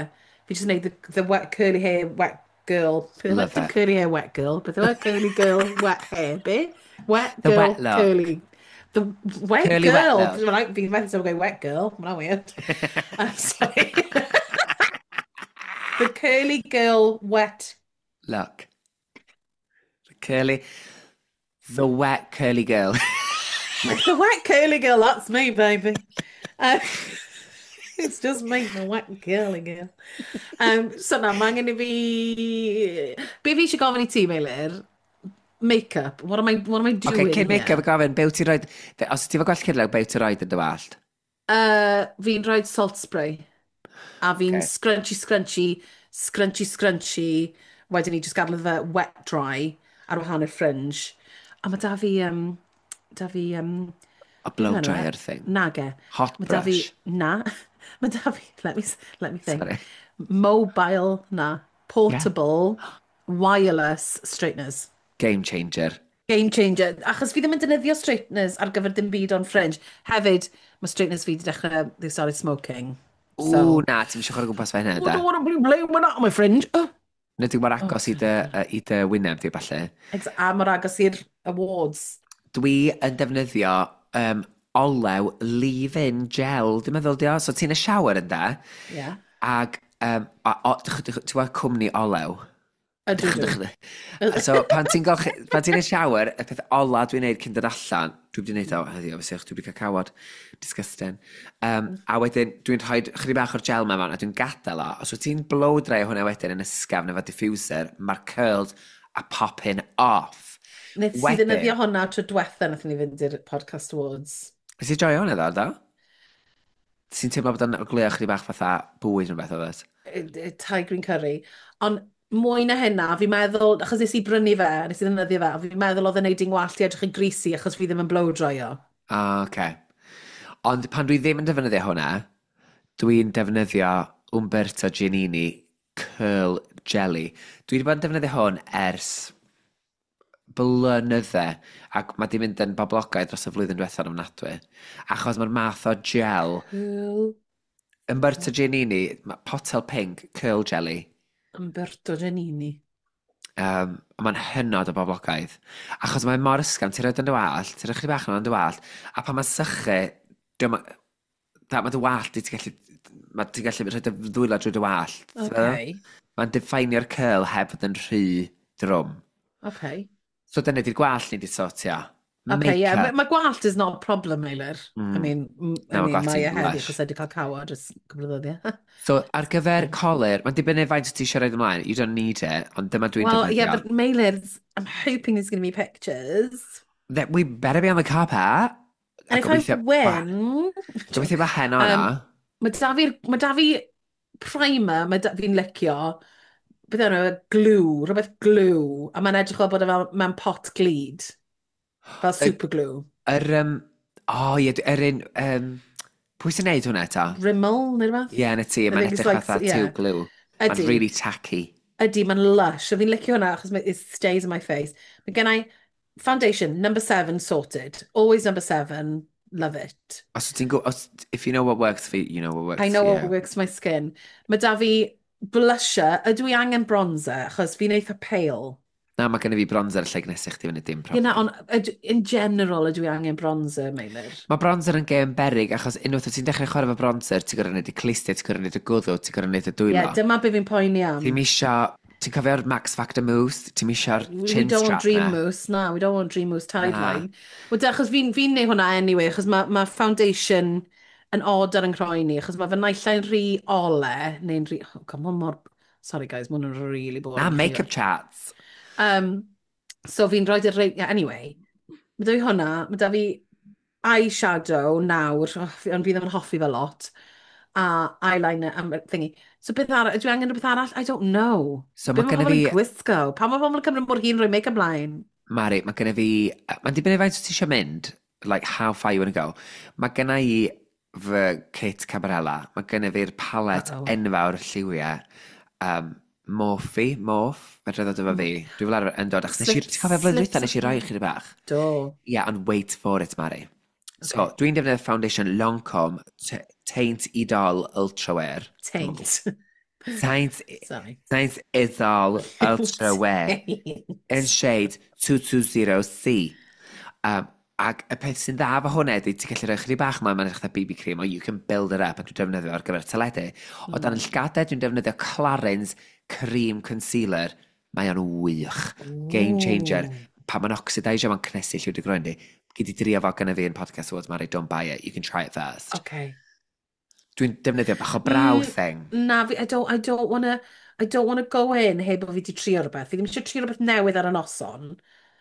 Fi jyst yn neud the, the wet curly hair, wet girl. Beth yw e? Love Dim it. curly hair, wet girl. Beth yw e? Curly girl, wet hair. Be? Wet The girl, wet look. curly. The wet Curly wet girl. look. Well, fi'n methu sef wet girl. Mae'n weird. I'm sorry. The curly girl, wet. Look. The curly... The wet curly girl. The wet curly girl, that's me, baby. Uh, it's just me, the wet curly girl. Um, so na, mae angen i fi... Be fi eisiau gofyn i ti, Meilir? Make-up. What am I, what am I Oce, doing cyn make-up here? y gofyn, be wyt ti'n rhoi... Os ti efo gwallt cyrliog, be wyt ti'n rhoi yn dy wallt? Uh, fi'n rhoi salt spray. A fi'n Okay. scrunchy, scrunchy, scrunchy, scrunchy. Wedyn ni just gadael iddo fe wet dry ar wahan i'r fringe. A mae da fi, um, da fi, um, A beth blow yw enw e? dryer thing. Nage. Hot Mae da fi, brush. na. Mae da fi, let me, let me think. Sorry. Mobile, na. Yeah. Portable, wireless straighteners. Game changer. Game changer. Achos fi ddim yn defnyddio straighteners ar gyfer dim byd ond fringe. Hefyd, mae straighteners fi wedi dechrau, they started smoking. Ww, So, na, ti'n eisiau chwarae gwmpas fe hynna, I da. don't want to be blowing out my fringe. Oh, Nid yw mor oh, agos i dy, God. yy, i dy wyneb di, falle. Ex a mor agos i'r awards. Dwi yn defnyddio um, olew leave-in gel, dwi'n meddwl di o. So ti'n y shower yn da, Yeah. ag, um, a, o, ti'n gweld cwmni olew? Ydw, dwi. So pan ti'n golchi, pan ti'n y shower, y peth ola dwi'n neud cyn dod allan, dwi wedi neud o heddiw, obviously, achos dwi wedi cael cawod, disgusting. Um, a wedyn, dwi'n rhoi chydig bach o'r gel ma mewn, a dwi'n gadael o. Os wyt ti'n blow dry hwnna wedyn yn ysgafn efo diffuser, mae'r curls are popping off. Nes i Wedyn, ddefnyddio hwnna tro diwetha nath ni fynd i'r podcast awards. Nes i joio hwnna ddo, do? Ti'n teimlo bod o'n ogleuo chydig bach fatha bwyd neu beth oedd it? Eh, Thai green curry. Ond mwy na hynna, fi'n meddwl, achos nes i brynu fe, nes i ddefnyddio fe, a fi'n meddwl oedd e'n neud i'n wallt i edrych yn greasy achos fi ddim yn blow dryo. Ah, oce. Ond pan dwi ddim yn defnyddio hwnna, dwi'n defnyddio Umberto Giannini Curl Jelly. Dwi wedi bod yn defnyddio hwn ers blynydde, ac mae di mynd yn boblogaidd dros y flwyddyn diwethaf yn ofnadwy. Achos mae'r math o gel, Curl Umberto Giannini, ma' potel pink, curl jelly. Umberto Giannini. Um, mae'n hynod o boblogaidd. Achos mae'n mor ysgafn, ti'n rhoi yn dy wallt, ti'n rhoi chydig bach yn dy wallt, a pan mae'n sychu, dyma, da, mae dy wallt i ti'n gallu, mae ti'n gallu rhoi dy ddwylo drwy dy wallt. Ti'n meddwl? Okay. Mae'n definio'r curl heb fod yn rhy drwm. Okay. So dyna di'r gwallt ni di sortio. Okay, yeah. Make-up. Mae ma gwallt is not a problem, Meilir. I Mm. mean, m- I Na, ma' mean, gwallt mae e ti'n heddi lush. achos wedi cael cawod ers cwpl o ddyddiau. So ar gyfer colur, mae'n dibynnu faint wyt ti eisiau rhoi ymlaen. You don't need it, ond dyma dwi'n Well, yeah, defnyddio. but Meilir, I'm hoping there's going to be pictures. That we better be on the carpet. A And if I gobeithio, win... gobeithio bod heno Um, yna. Mae da fi'r, mae da fi primer, mae da fi'n licio, beth yw e, glue, rhywbeth glue, a mae'n edrych fel bod e fel mewn pot glud, fel super glue. Yr, um, o ie, yr un, um, pwy sy'n neud hwnna eto? Rimmel, neu rhywbeth? Ie, yeah, na ti, I mae'n think it's edrych like, fatha yeah. tube glue. Mae'n Ydy, really tacky. ydy, mae'n lush. A fi'n licio hwnna achos mae- it stays in my face. Mae gen i foundation, number seven sorted. Always number seven, love it. Os ti'n go, os, if you know what works for you, you know what works I know for what you. works for my skin. Mae da fi blusher, ydw i angen bronzer, achos fi'n eitha pale. Na, mae gen i fi bronzer lle gnesu chdi fyny dim Ie, na, problem. ond ydw- in general ydw i angen bronzer, Meilir. Mae bronzer yn gêm berig, achos unwaith wyt ti'n dechrau chwarae efo bronzer, ti'n gorfod neud y clustiau, ti'n gorfod neud y gwddw, ti'n gorfod neud y Ie, dwylo. yeah, dyma be fi'n poeni am. Ti'n isio, ti'n cofio'r Max Factor mousse? Ti'n isio'r We chin don't want strap dream na? mousse, na, we don't want dream mousse Na. tideline. Wel, de, achos fi'n fi neud hwnna anyway, achos mae ma foundation yn odd ar yng nghroen i, achos mae fy naill ai'n rhy ole, neu'n rhy... Oh, come on, mor... Sorry guys, mae hwn yn really boring. Na, make-up chats. Um, so fi'n rhoi yr... Yeah, anyway, mae da fi hwnna, mae da fi eyeshadow nawr, oh, fi- ond fi ddim yn hoffi fe lot, a eyeliner a thingy. So beth arall, ydw i angen rhywbeth arall? I don't know. So Be mae mae genna pobl yn fi, gwisgo? Pam mae pobl yn cymryd mor hir rhoi make-up ymlaen? Mari, mae genna fi, mae'n dibynnu faint wyt ti eisiau mynd, like how far you want to go. Mae genna i fy kit Cabarella, mae genna fi'r palet Uh-oh. enfawr lliwiau, um, Morphe, Morph, fedra ddod efo fi. Dwi fel arfer yn dod, achos nes i, Slip- ti'n cofio flwyddyn slip dwytha, nes i roi something. chydig bach. Do. Yeah, and wait for it, Mari. So, Okay. dwi'n defnyddio foundation Lancome T- Teint Idol Ultra Wear. Taint. Teint, Sorry. Teint Idol Ultra Wear Taint. in shade two two zero C. Um, ac y peth sy'n dda efo hwnna ydy, ti'n gallu rhoi chydig bach yma, mae'n edrych fatha B B cream, or you can build it up, a dwi'n defnyddio ar gyfer teledu. O dan y llgadau, dwi'n defnyddio Clarins Cream Concealer. Mae o'n wych. Game changer. Ooh. Pa mae'n oxidisio, mae'n cnesu lliw dy groen di. Gyd i drio fo gyda fi yn Podcast Awards, Mari, don't buy it, you can try it first. Okay. Dwi'n defnyddio bach o brow Mm, thing. Na, fi, I don't, I don't wanna, I don't wanna go in heb bod fi wedi trio rhywbeth. Fi ddim eisiau trio rhywbeth newydd ar y noson.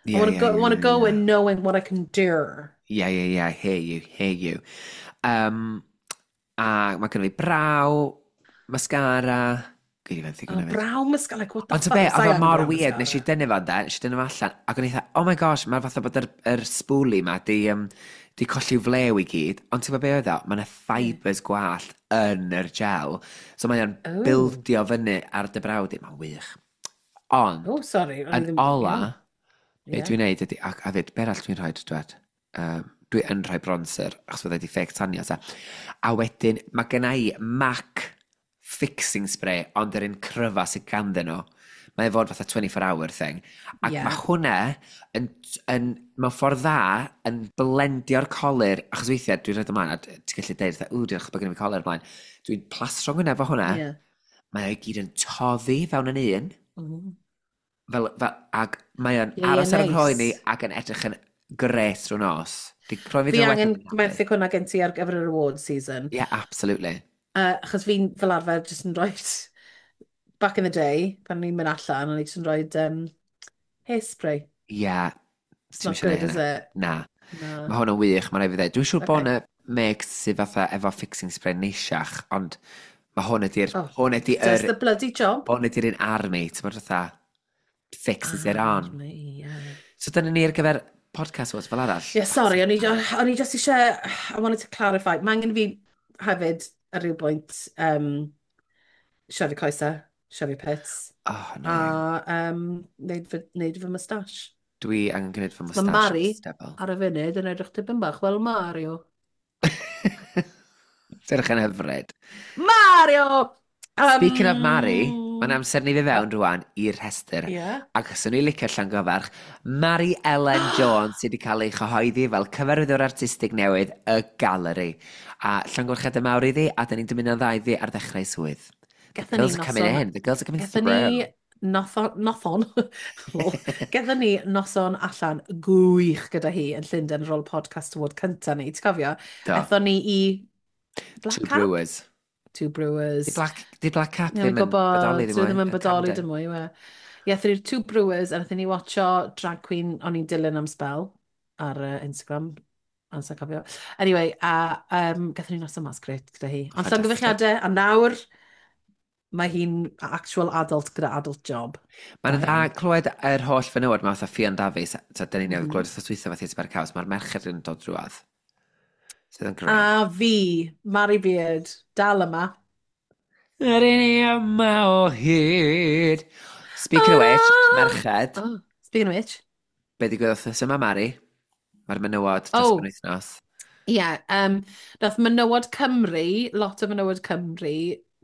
I Yeah, wanna yeah, go, I yeah, wanna yeah, go yeah. in knowing what I can do. Yeah, yeah, yeah, hear you, hear you. Um, a mae gen i fi brow, mascara, gyd i fenthyg Oh, hwnna fyd. brow mascara, like what the Ond fuck? ta be, Sai oedd o angen mor brow weird, nes i mascara. dynnu fo de, nes i dynnu fo allan, ac o'n i fatha, oh my gosh, mae'r fatha bod yr, yr spoolie ma di, um, di colli flew i gyd, ond ti'n gwybod be oedd o? Mae yna fibres gwallt yn yr gel, so mae o'n Oh. bildio fyny ar dy braw di, mae'n wych. Ond, Oh, sorry. O'n i yn ddim- ola, ie. be Ie. dwi'n neud ydy, ac a fyd, be arall dwi'n rhoi, dwed? Um, dwi yn rhoi bronzer, achos fydda i di fake tanio, ta. A wedyn, mae genna i MAC fixing spray, ond yr un cryfa sydd ganddyn nhw. Mae e fod fatha twenty-four hour thing. Ac Ie. mae hwnna yn, yn, mewn ffordd dda, yn blendio'r colur, achos weithiau dwi'n rhaid ymlaen, a ti'n gallu deud, fatha, ww, diolch bod gen i fi colur ymlaen. Dwi'n plastro hwnna efo hwnna. Ie. Mae o'i gyd yn toddi fewn yn un. Mm. Fel, fel, ac mae o'n Ie, ie, aros ar 'y nghroen i neis. ac yn edrych yn gret drwy nos. Di croen fi Fi ddim yn angen well na benthyg hwnna gen ti ar gyfer yr award season. Yeah, absolutely. Uh, achos fi'n fel arfer jyst yn rhoi, back in the day, pan o'n i'n mynd allan, o'n i jyst yn rhoi um, hairspray. Yeah. It's Ti'm not isio neud good, is hynna. it? Na. Na. Mae hwn yn wych, mae'n rhaid fi ddweud. Dwi'n siŵr bod Okay. yna makes sydd fatha efo fixing spray neisiach, ond mae hwn ydy'r... Oh, hwn ydy does yr... the bloody job. Hwn ydy'r un army, ti'n bod fatha fixes it on. Army, yeah. So dyna ni ar gyfer Podcast Awards fel arall. Yeah, sorry, o'n i, o'n i just eisiau, I wanted to clarify. Mae angen fi hefyd ar ryw bwynt um, siafu coesau, siafu pits, Oh, no. a um, neud fy, neud fy moustache. Dwi angen gwneud fy Mae moustache Mari stebl. ar y funud yn edrych tipyn bach fel Mario. Ti'n edrych yn hyfryd. Mario! Um, Speaking of Mari, mae'n amser ni fi fewn rwan i'r rhestr. Yeah. Ac os o'n i licio llangyfarch, Mari Ellen Jones sydd wedi cael ei chyhoeddi fel cyfarwyddwr artistig newydd y Galeri. A llongyfarchiadau mawr iddi, a da ni'n dymuno'n dda iddi ar ddechrau swydd. The Gathon ni girls are coming noson in, the girls are coming to the Gathon ni room. nothon, nothon, lol. Gathon ni noson allan gwych gyda hi yn Llundain ar ôl Podcast Award cynta ni, ti'n cofio? Do. Ethon ni i Black Two Cap? Brewers. Two Brewers. Di Black, di Black Cap Ie, ddim fi'n yn gwybod, bodoli dwi ddim ddim yn mwy, yn bodoli Camden. dim mwy, yw e. Ie, aethon ni'r Two Brewers, a nathon ni watcho drag queen o'n i'n dilyn am spell ar uh, Instagram. Ond sa'n cofio. Anyway, a um, gathon ni noson mas grêt gyda hi. Ond Fantastic. llongyfarchiadau, a nawr mae hi'n actual adult gyda adult job. Mae'n Da dda iawn. clywed yr holl fenywod ma fatha Ffion Dafis, ta dyn ni newydd Mhm. glywed wrth dwytha fatha Theatr Caws, mae'r merched yn dod drwadd. Sydd yn grêt. A fi, Mari Beard, dal yma. Yr un i yma o hyd. Speaking of which, Ah! merched, Oh, speaking of which. Be ddigwyddodd wythnos yma, Mari? Mae'r menywod dros Oh. penwythnos. Ie, yeah, um, nath Menywod Cymru, lot o Menywod Cymru,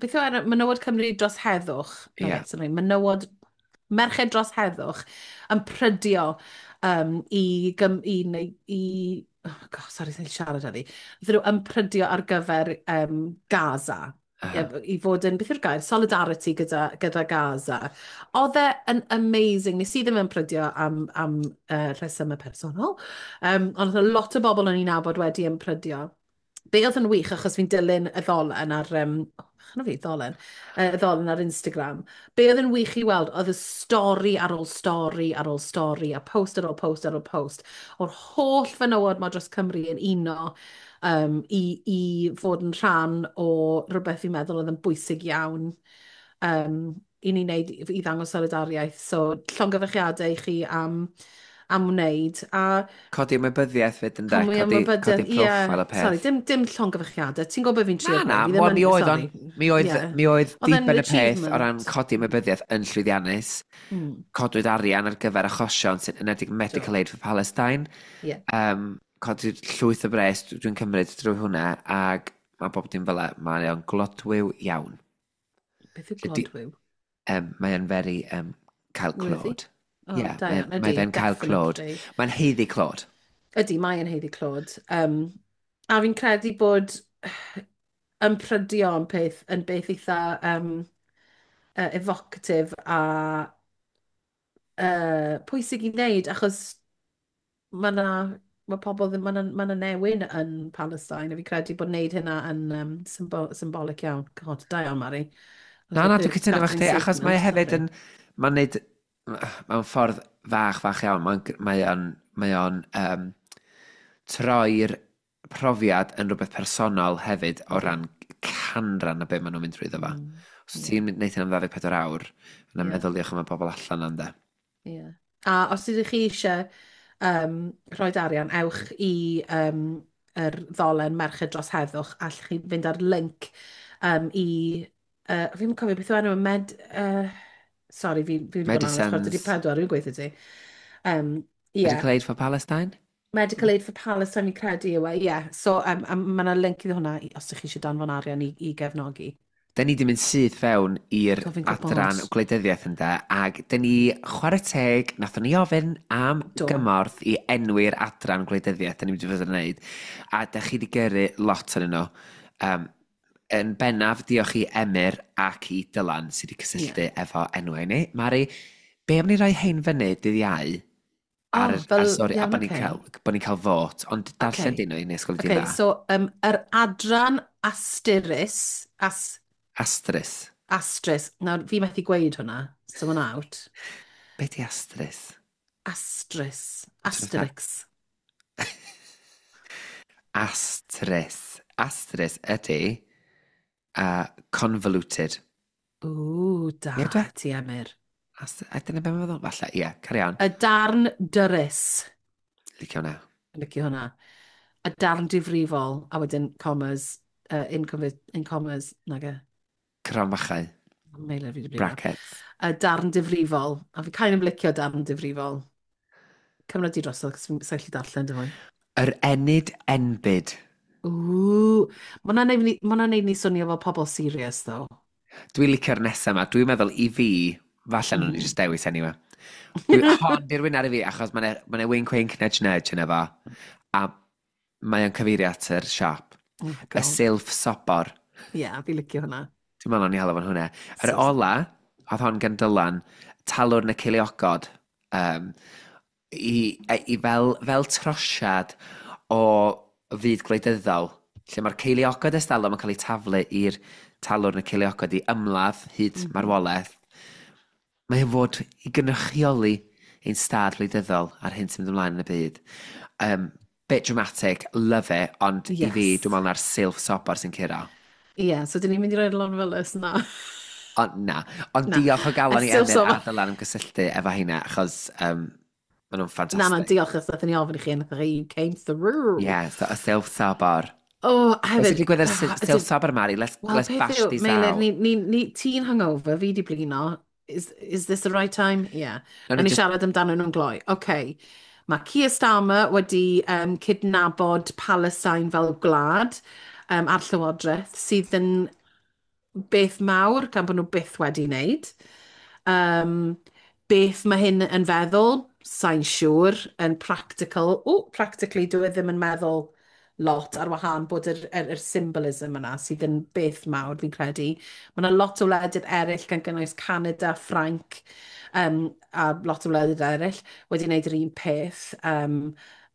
beth yw enw? Menywod Cymru dros heddwch. No, Ie. wait, sorry, Menywod, Merched dros heddwch yn prydio um, i, gym, i, i, i oh God, sorry, sa'n siarad heddi. Nathon nhw ymprydio ar gyfer um, Gaza. Aha. I, i fod yn, beth yw'r gair, solidarity gyda, gyda Gaza. Oedd e yn amazing. Nes i ddim yn prydio am, am uh, rhesymau personol, um, ond oedd 'na lot o bobl o'n i'n nabod wedi ymprydio. Be oedd yn wych, achos fi'n dilyn y ddolen ar, um, oh, fi, ddolen, uh, y ddolen ar Instagram. Be oedd yn wych i weld, oedd y stori ar ôl stori ar ôl stori, a post ar ôl post ar ôl post, o'r holl fenywod ma dros Cymru yn uno um, i, i fod yn rhan o rhywbeth fi'n meddwl oedd yn bwysig iawn um, i ni wneud, i ddangos solidariaeth. So, llongyfarchiadau i chi am, am wneud. A Codi ymwybyddiaeth fyd yn de, mwy codi, ymwybyddiaeth, codi profile y peth. Sorry, dim, dim llongyfarchiadau. Ti'n gwybod beth fi'n trio Na, na, gweud? Fi ddim wel, yn- mi oedd o'n, sorry. mi oedd, Ie. mi oedd Oedd e'n diben y peth o achievement. ran codi ymwybyddiaeth yn llwyddiannus. Mm. Codwyd arian ar gyfer achosion sy'n enwedig Medical Aid for Palestine. Ie. Um, codwyd llwyth o bres, dwi'n cymryd drwy hwnna, ac mae bob dim fel e, mae o'n glodwiw iawn. Beth yw Ydi- glodwiw? Um, mae o'n very um, cael Worthy? clod. Oh, Ie, da mae iawn. mae Ydi, fe'n cael clod. definitely. Mae'n haeddu clod. Ydy, mae yn haeddu clod. Um, a fi'n credu bod ymprydio yn peth, yn beth eitha um, uh, evocative a uh, pwysig i wneud, achos mae na, mae pobl ddim, mae na, ma na newyn yn Palestine, a fi credu bod wneud hynna yn um, symbo symbolic iawn. God, da iawn, Mari. Na, na, dwi'n cytuno efo chdi, achos mae e hefyd yn, mae'n neud, mewn ffordd fach, fach iawn, mae'n mae o'n, mae o'n um, troi'r profiad yn rhywbeth personol hefyd o ran canran o be maen nhw'n mynd drwyddo fo. Mm, Os yeah. ti'n gwneud hyn am ddau ddeg pedwar awr, yna yeah. meddyliwch am y bobl allan yna. Yeah. A os ydych chi eisiau um, rhoi arian, ewch i um, yr ddolen Merched dros Heddwch, allwch chi fynd ar link um, i... Uh, fi'n cofio beth yw enw, med... Uh, sorry, fi, fi wedi bod yn anodd, chwarter i pedwar, rwy'n gweithio ti. Um, yeah. Medical Aid for Palestine? Medical Aid for Palestine, fi'n credu yw e, ie. Yeah. So, um, um, mae yna link iddo hwnna os ydych chi eisiau danfon arian i, i gefnogi. Da ni di mynd syth fewn i'r adran gwleidyddiaeth ynde, ac da ni, chwarae teg, nathon ni ofyn am Do. gymorth i enwi'r adran gwleidyddiaeth, da ni wedi fod yn wneud, a da chi wedi gyrru lot yn nhw. Um, yn bennaf, diolch i Emyr ac i Dylan sydd wedi cysylltu yeah. efo enwau ni. Mari, be am ni roi hein fyny dydd Iau? Ar, oh, fel, ar stori, a iawn, bod ni'n okay. cael, bod ni'n cael fot, ond darllen okay. dyn nhw i nes gweld okay, dda. So, um, yr adran asterus, as, Astrus. Astrus. Nawr, fi methu gweud hwnna, so mae'n out. Be di astrus? Astrus. Asterix. Astrus. Astrus ydy uh, convoluted. Ww, da Ie, dwi? ti, Emyr. Ast a dyna be mae'n feddwl? Falle, ie, carry on. Y darn dyrys. Licio hwnna. Licio hwnna. Y darn difrifol, a wedyn commas, uh, in, in commas, nage. Cromfachau. Meilir fi 'di blino. Brackets. Y darn difrifol. A fi kind of licio darn difrifol. Cymryd di drosodd, cos fi'n gallu darllen dy fwy. Yr enid enbyd. Ww. Ma' hwnna'n neud ni, ma' hwnna'n neud ni swnio fel pobl serious, though. Dwi'n licio'r nesaf yma. Dwi'n meddwl i fi, falle mm. nhw'n Mm. just dewis anyway. Dwi, hon di'r winner i fi, achos mae'n ma wink wink nudge nudge yna fo. A mae o'n cyfeirio at yr siop. Oh my Y God. silff sobor. Ie, yeah, fi licio hwnna. Dwi'n meddwl o'n i hel fo'n hwnna. Yr So- ola, oedd hon gan Dylan, talwrn y ceiliogod, um, i, i fel, fel trosiad o fyd gwleidyddol, lle mae'r ceiliogod estalwm yn cael eu taflu i'r talwrn y ceiliogod i ymladd hyd mm -hmm. marwolaeth. Mae o'n fod i gynrychioli ein stad wleidyddol ar hyn sy'n mynd ymlaen yn y byd. Um, bit dramatic, love it, ond yes. i fi, Yes. dwi'n meddwl na'r silff sobor sy'n curo. Ie, yeah, so dyn ni'n mynd i roi'r lon felys na. Ond na. Ond Na. diolch o galon Y i silff Emyr sobor. a Dylan am gysylltu efo heina, achos um, maen nhw'n Na, na, ffantastig. diolch os nathon ni ofyn i chi, nath chi, you came through. Yeah, so, y silff sobor. Oh, Beth hefyd... sy'n digwydd ar ah, sil- ydyn- silff sobor, Mari? Let's, Wel, let's peth bash yw, these Meilir, out. ni, ni, ni, ti'n hungover, fi di blino. Is, is this the right time? Yeah. Nawn Nawn ni ni just- siarad amdano nhw'n gloi. OK. Mae Keir Starmer wedi um, cydnabod Palestine fel gwlad um, a'r Llywodraeth sydd yn beth mawr gan bod nhw byth wedi wneud. Um, beth mae hyn yn feddwl? Sa'n siŵr. Yn practical. O, practically, dwi e ddim yn meddwl lot ar wahân bod yr, yr, yr symbolism yna sydd yn beth mawr fi'n credu. Mae yna lot o wledydd eraill gan gynnwys Canada, Ffrainc um, a lot o wledydd eraill wedi wneud yr un peth. Um,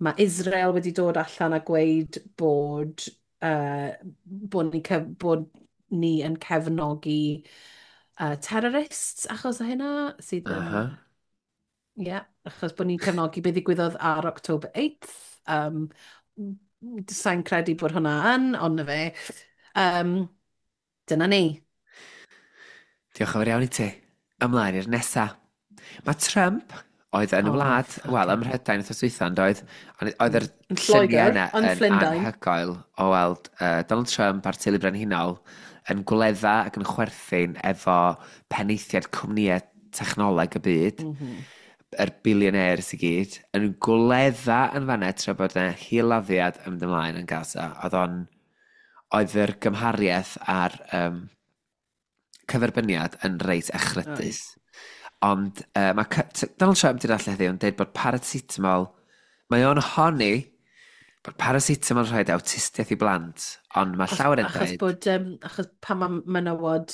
mae Israel wedi dod allan a gweud bod, uh, bod, ni, cef bod ni yn cefnogi uh, terrorists achos o hynna sydd yn... Uh -huh. Ie, yeah, achos bod ni'n cefnogi beth ddigwyddodd ar October eighth. Um, Sa'n credu bod hwnna yn, ond na fe. Um, dyna ni. Diolch yn fawr iawn i ti. Ymlaen i'r nesa. Mae Trump oedd yn y Oh, wlad, fucking wel, ym Mhrydain wythnos dwytha, ond oedd, ond oedd yr Yn lluniau Lloegr, yna yn yn Llundain. anhygoel o weld uh, Donald Trump a'r teulu brenhinol yn gwledda ac yn chwerthin efo penaethiaid cwmnïau technoleg y byd, Mm -hmm. yr billionaires i gyd, yn gwledda yn fanna tra bod yna hil-laddiad yn mynd ymlaen yn Gaza. Oedd o'n, oedd yr gymhariaeth a'r um, cyferbyniad yn reit echrydus. Ond uh, mae C- Donald Trump wedi allan heddiw yn dweud bod paracetamol, mae o'n honni bod paracetamol yn rhoi awtistiaeth i blant, ond mae llawer yn Achos dweud, bod, um, achos pan mae menywod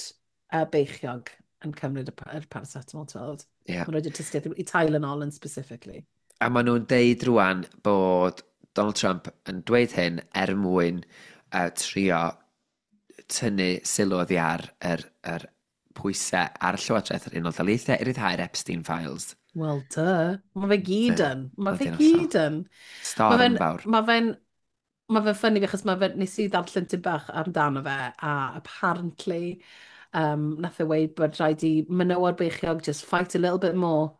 uh, beichiog yn cymryd y, pa- yr paracetamol, ti'n weld. Yeah. Mae'n rhoi awtistiaeth i Tylenol yn specifically. A maen nhw'n deud rwan bod Donald Trump yn dweud hyn er mwyn uh, trio tynnu sylw oddi ar yr, yr pwysau ar y Llywodraeth yr Unol Daleithiau i ryddhau'r Epstein Files. Well, duh. Mae fe gyd yn. Mae fe Ydy'n hollol. gyd yn. Mae Storm fe'n fawr. ma fe'n ma fe'n funny achos mae fe, nes i ddarllen tipyn bach amdano fe a apparently um, nath e weud bod rhaid i menywod beichiog just fight a little bit more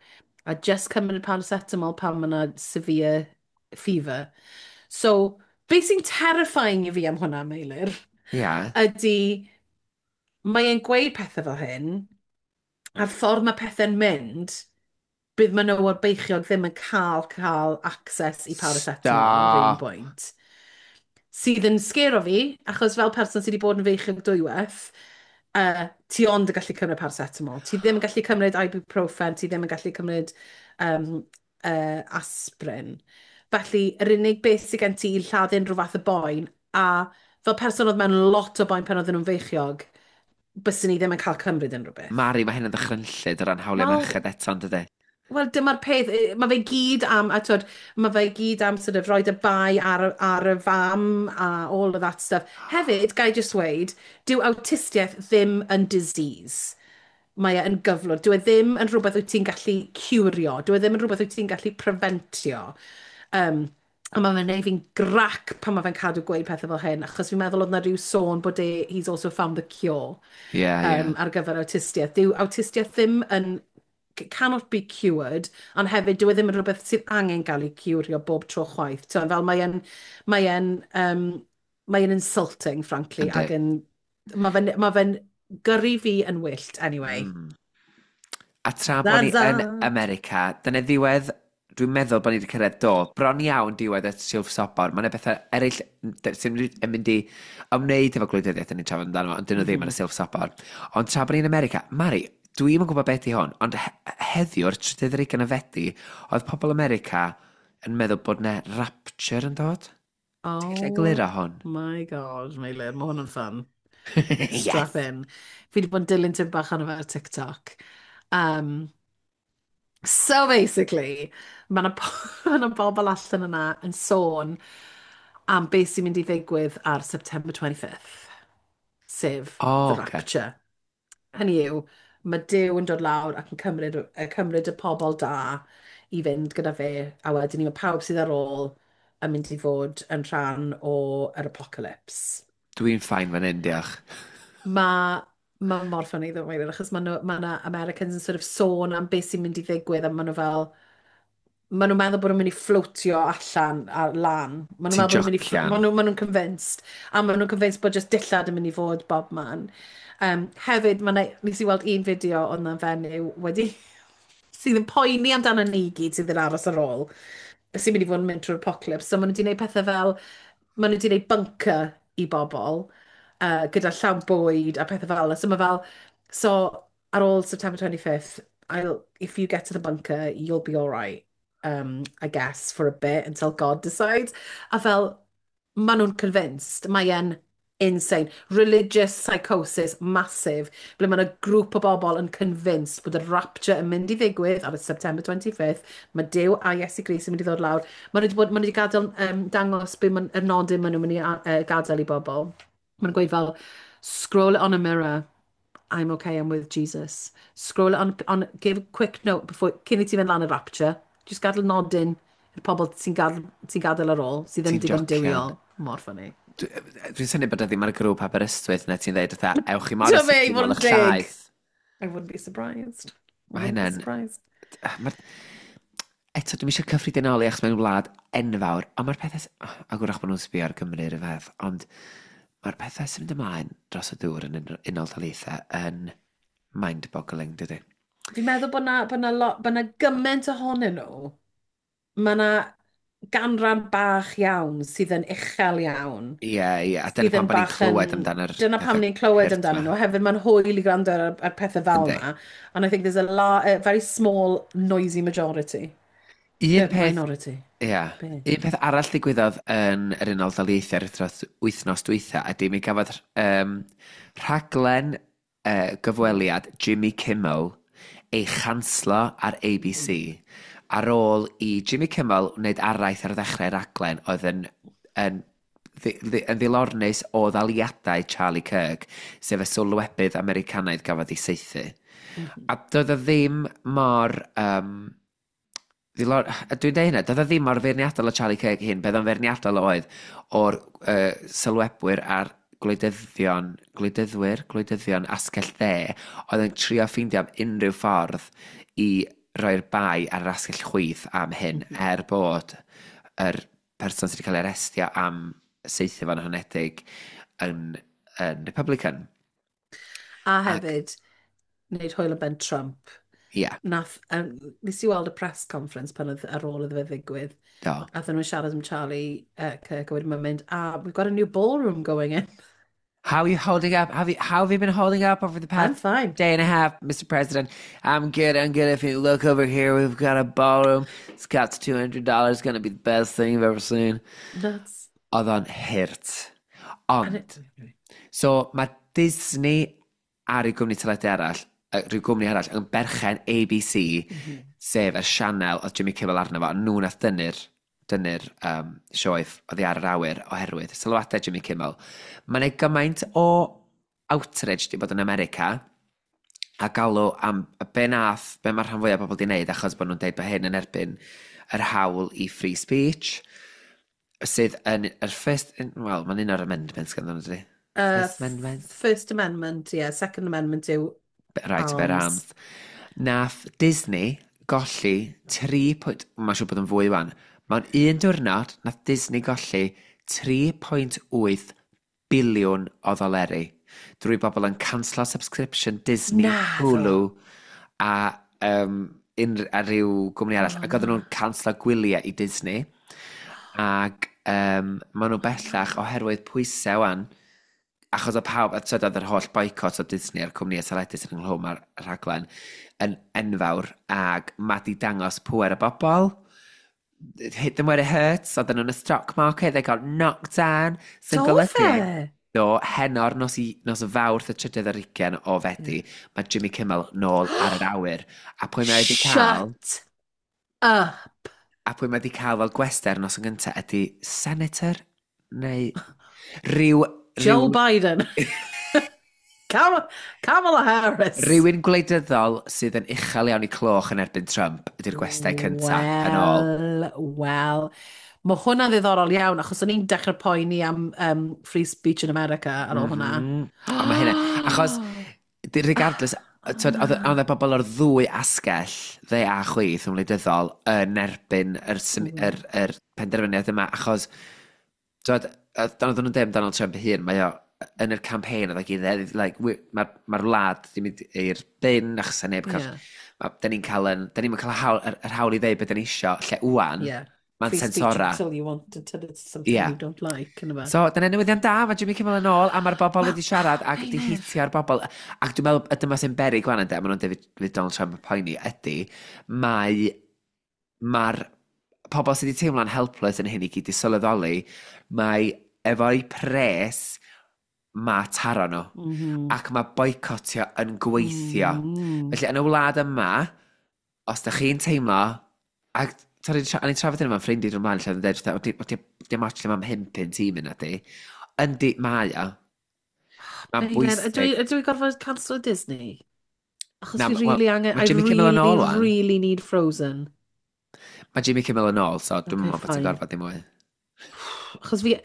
a just cymryd paracetamol pan mae yna severe fever. So, beth sy'n terrifying i fi am hwnna, Meilir, Ia. ydy mae e'n gweud pethau fel hyn, a'r ffordd mae pethau'n mynd, bydd menywod beichiog ddim yn cael cael access i paracetamol ar un Stop. bwynt. Sydd yn scare o fi, achos fel person sydd wedi bod yn feichiog dwywaith, uh, ti ond yn gallu cymryd paracetamol. Ti ddim yn gallu cymryd ibuprofen, ti ddim yn gallu cymryd um, uh, aspirin. Felly, yr unig beth sydd gen ti i lladd unrhyw fath o boen, a fel person oedd mewn lot o boen pan oedden nhw'n feichiog, byswn ni ddim yn cael cymryd unrhyw beth. Mari, mae hyn yn ddychrynllyd o ran hawliau Wel- merched eto, yn dydy? Wel, dyma'r peth, eh, mae fe gyd am, a twyd, mae fe gyd am sort of rhoi y bai ar, y- ar y fam a all of that stuff. Hefyd, gai just weud, dyw awtistiaeth ddim yn disease. Mae e yn gyflwr. Dyw e ddim yn rhywbeth wyt ti'n gallu curio. Dyw e ddim yn rhywbeth wyt ti'n gallu preventio. Um, a mae fe'n neud fi'n grac pan mae fe'n cadw gweud pethau fel hyn, achos fi'n meddwl oedd na rhyw sôn bod e, he's also found the cure Ie, ie. um, ar gyfer awtistiaeth. Dyw awtistiaeth ddim yn cannot be cured, ond hefyd dyw e ddim yn rhywbeth sydd angen gael ei curio bob tro chwaith. So, fel mae e'n, mae e'n, um, mae e'n insulting, frankly, Yndi. ac yn, mae fe'n, ma fe'n gyrru fi yn wyllt, anyway. Mm. A tra bod ni That's yn all. America, dyna ddiwedd, dwi'n meddwl bod ni wedi cyrraedd do, bron iawn diwedd y silff sobor. Mae yna bethau eraill d- sy'n mynd yn mynd i ymwneud efo gwleidyddiaeth yn ni'n trafod amdano fo, ond dyn nhw ddim ar y silff sobor. Ond tra bod ni'n America, Mari, dwi'n yn gwybod beth i hwn, ond he heddiw'r trydydd ar hugain o Fedi, oedd pobl America yn meddwl bod 'na rapture yn dod. Oh Ti'n gallu egluro hwn? my God, Meilir, mae hwn yn fun. Yes! Strap in. Fi wedi bod yn dilyn tipyn bach arno fe ar TikTok. Um, so basically, mae yna ma 'na bobl allan yna yn sôn am beth sy'n mynd i ddigwydd ar September twenty-fifth, sef O, the oce. Rapture. Hynny yw, mae Duw yn dod lawr ac yn cymryd, y cymryd y pobl da i fynd gyda fe, a wedyn ni mae pawb sydd ar ôl yn mynd i fod yn rhan o'r apocalypse. Dwi'n fine fan hyn, diolch. Mae ma mor funny ddo, Meilir, achos mae ma 'na Americans yn sort of sôn am beth sy'n mynd i ddigwydd, a maen nhw fel, maen nhw'n meddwl bod nhw'n mynd i floatio allan ar lan. Maen nhw'n Ti'n meddwl bod nhw'n mynd i, jocian? maen nhw, maen nhw'n convinced. A maen nhw'n convinced bod just dillad yn mynd i fod bob man. Um, hefyd, ma' 'na, nes i weld un fideo oedd 'na fenyw wedi, sydd yn poeni amdano ni gyd sydd yn aros ar ôl, sy'n mynd i fod yn mynd trwy'r apocalypse. So maen nhw wedi gwneud pethau fel, maen nhw wedi gwneud bunker i bobl, uh, gyda llawn bwyd a pethau fel 'na. So mae fel, so ar ôl September twenty-fifth, I'll, if you get to the bunker, you'll be all right, um, I guess, for a bit until God decides. A fel, maen nhw'n convinced, mae e'n insane. Religious psychosis, massive, ble mae yna grŵp o bobl yn convinced bod y rapture yn mynd i ddigwydd ar y September twenty-fifth. Mae Duw a Iesu Grist yn mynd i ddod lawr. Maen nhw wedi, bod, maen nhw wedi gadael, um, dangos be ma'n, y nodyn maen nhw'n mynd i uh, gadael i bobl. Maen nhw'n gweud fel, "Scroll it on a mirror. I'm okay, I'm with Jesus. Scroll it on, on give a quick note before, cyn i ti fynd lan y rapture. Just gadael nodyn i'r pobl sy'n gadael, sy gadael ar ôl, sydd ddim Ti'n digon jocian? duwiol." Mor funny. Dwi'n synnu bod e ddim ar y grŵp Aberystwyth na ti'n dweud, fatha, ewch i Morris Ti'n fe, i i fod nôl yn eich deg. llaeth. I wouldn't be surprised. I Mae wouldn't be hynna'n surprised. Mae'r... Eto, dwi'n eisiau cyffredinoli achos mae'n wlad enfawr, ond mae'r pethau... A gwrach bod nhw'n sbio ar Gymru yr fath, ond mae'r pethau sy'n mynd ymlaen dros y dŵr yn Un- Unol Daleithiau yn mind-boggling, dydy? Fi'n meddwl bod na, bod na, lot, bod na gymaint ohonyn nhw. Mae na ganran bach iawn sydd yn uchel iawn. Ie, ie, a dyna Sydd pam yn bod ni'n bach clywed yn amdano'r Dyna pam pethau ni'n clywed hurt amdanyn 'ma. nhw. Hefyd mae'n hwyl i gwrando ar, ar pethau fel Yndi. yna. And I think there's a, la, a very small, noisy majority. Un Uh, peth, minority. Ie, Be? Un peth arall ddigwyddodd yn yr Unol Daleithiau yr wythnos, wythnos dwytha ydy mi gafodd um, rhaglen uh, gyfweliad Jimmy Kimmel ei chanslo ar A B C ar ôl i Jimmy Kimmel wneud araith ar ddechrau raglen oedd yn, yn, ddi- ddi- yn ddilornus o ddaliadau Charlie Kirk, sef y sylwebydd Americanaidd gafodd ei saethu. Mm -hmm. A doedd o ddim mor... Um, ddilor... A dwi'n deud hynna, doedd o ddim mor feirniadol o Charlie Kirk hyn, beth o'n feirniadol oedd o'r uh, sylwebwyr a'r gwleidyddion, gwleidyddwyr, gwleidyddion asgell dde, oedd yn trio ffeindio am unrhyw ffordd i roi'r bai ar yr asgell chwith am hyn, mm -hmm. er bod yr person sydd wedi cael ei arestio am saethu fo'n honedig yn, yn Republican. A hefyd, Ac wneud hwyl o ben Trump. Ie. Yeah. Nath, um, nes i weld y press conference pan oedd ar ôl iddo fe ddigwydd. Do. A nhw'n siarad am Charlie uh, Kirk, a wedyn mae'n mynd, "Ah, we've got a new ballroom going in." How are you holding up? Have you, how have you been holding up over the I'm past fine. day and a half, Mister President? I'm good, I'm good. If you look over here, we've got a ballroom. It's cost two hundred dollars. Gonna be the best thing you've ever seen. Nuts. Oedd o'n hurt. And Ond, it, so mae Disney a rhyw gwmni teledu arall, yy, rhyw gwmni arall, yn berchen A B C, mm -hmm. sef y sianel oedd Jimmy Kimmel arno fo, a nhw nath dynnu'r dynnu'r um, sioe oddi ar yr awyr oherwydd sylwadau Jimmy Kimmel. Mae'n ei gymaint o outrage di bod yn America a galw am be nath, be mae'r rhan fwyaf o bobl di wneud achos bod nhw'n deud bod hyn yn erbyn yr hawl i free speech sydd yn yr first, wel, mae'n un o'r amendments ganddyn nhw, dydi? Uh, First Amendment? First Amendment, yeah. Second Amendment yw Right to bear arms. Arms. Nath Disney golli tri pwynt, mae'n siŵr bod yn fwy wan, mewn un diwrnod, nath Disney golli tri pwynt wyth biliwn o ddoleri drwy bobl yn canslo subscription Disney, Naddo. Hulu a, um, un, a rhyw gwmni arall. Ac oedden nhw'n canslo gwyliau i Disney. Ac um, maen nhw bellach oherwydd pwysau wan, achos o pawb, a tyd oedd yr holl boycott o Disney a'r cwmni teledu sydd ynghlwm ar y rhaglen yn enfawr, ac mae di dangos pwer y bobl. Hit them where it hurts, oedden nhw'n y stock market, they got knocked down. Sy'n Do golygu, fe? Do, heno'r nos, i, nos Fawrth y trydydd ar hugain o Fedi, mae Jimmy Kimmel nôl ar yr awyr. A pwy mae wedi cael, Shut up. a pwy mae wedi cael fel gwestai ar nos yn gyntaf ydy senator neu rhyw, Joe rhyw, Biden. Kamala, Kamala Harris. Rhywun gwleidyddol sydd yn uchel iawn i cloch yn erbyn Trump ydy'r gwestai cyntaf yn ôl. Wel, wel. Mae hwnna'n ddiddorol iawn, achos o'n i'n dechrau poeni am um, free speech in America ar ôl hwnna. Mm. A mae hynna, achos, di- regardless, twyd, oedd oedd y bobl o'r ddwy asgell, dde a chwith yn wleidyddol, yn erbyn yr, sym- yr, yr penderfyniad yma, achos, twyd, oedd oedden nhw'n deud Donald Trump ei hun, mae o yn yr campaign, oedd e gyd, like, mae'r ma wlad di mynd i'r bin, achos neb cael, Yeah. ma, da ni'n cael, yn, da ni'n cael hawl, yr, yr hawl i ddeud beth da ni isio, lle wan, Yeah. mae'n Free speech sensora. until you want, until it's something Yeah. you don't like. Yna fe. So, dyna newyddion da, mae Jimmy Kimmel yn ôl, a mae'r bobl wedi siarad ac wedi Meilir. hitio'r bobl. Ac dwi'n meddwl, y dyma sy'n berig wan ynddo, maen nhw'n dweud fydd Donald Trump yn poeni, ydy, mae, mae'r pobl sydd wedi teimlo'n helpless yn hyn i gyd i sylweddoli, mae efo'i pres, mae taro nhw. Mm -hmm. Ac mae boicotio yn gweithio. Mm. Felly, yn y wlad yma, os da chi'n teimlo, ac sorry, tra- o'n i'n trafod hyn efo'n ffrindiau drwy'n ymlaen, lle oedd yn dweud, fatha, "O, di- dim ots lle mae'n pump tîm yna di." Yndi, mae o. Mae'n Meilir, ydw bwysig. i ydw i gorfod cancel Disney? Achos Na, fi wel, really angen, mae I Jimmy Kimmel yn really, ôl wan. really need Frozen. Mae Jimmy Kimmel yn ôl, so dwi'n Okay, meddwl bod ti'n fine. gorfod dim mwy. Achos fi,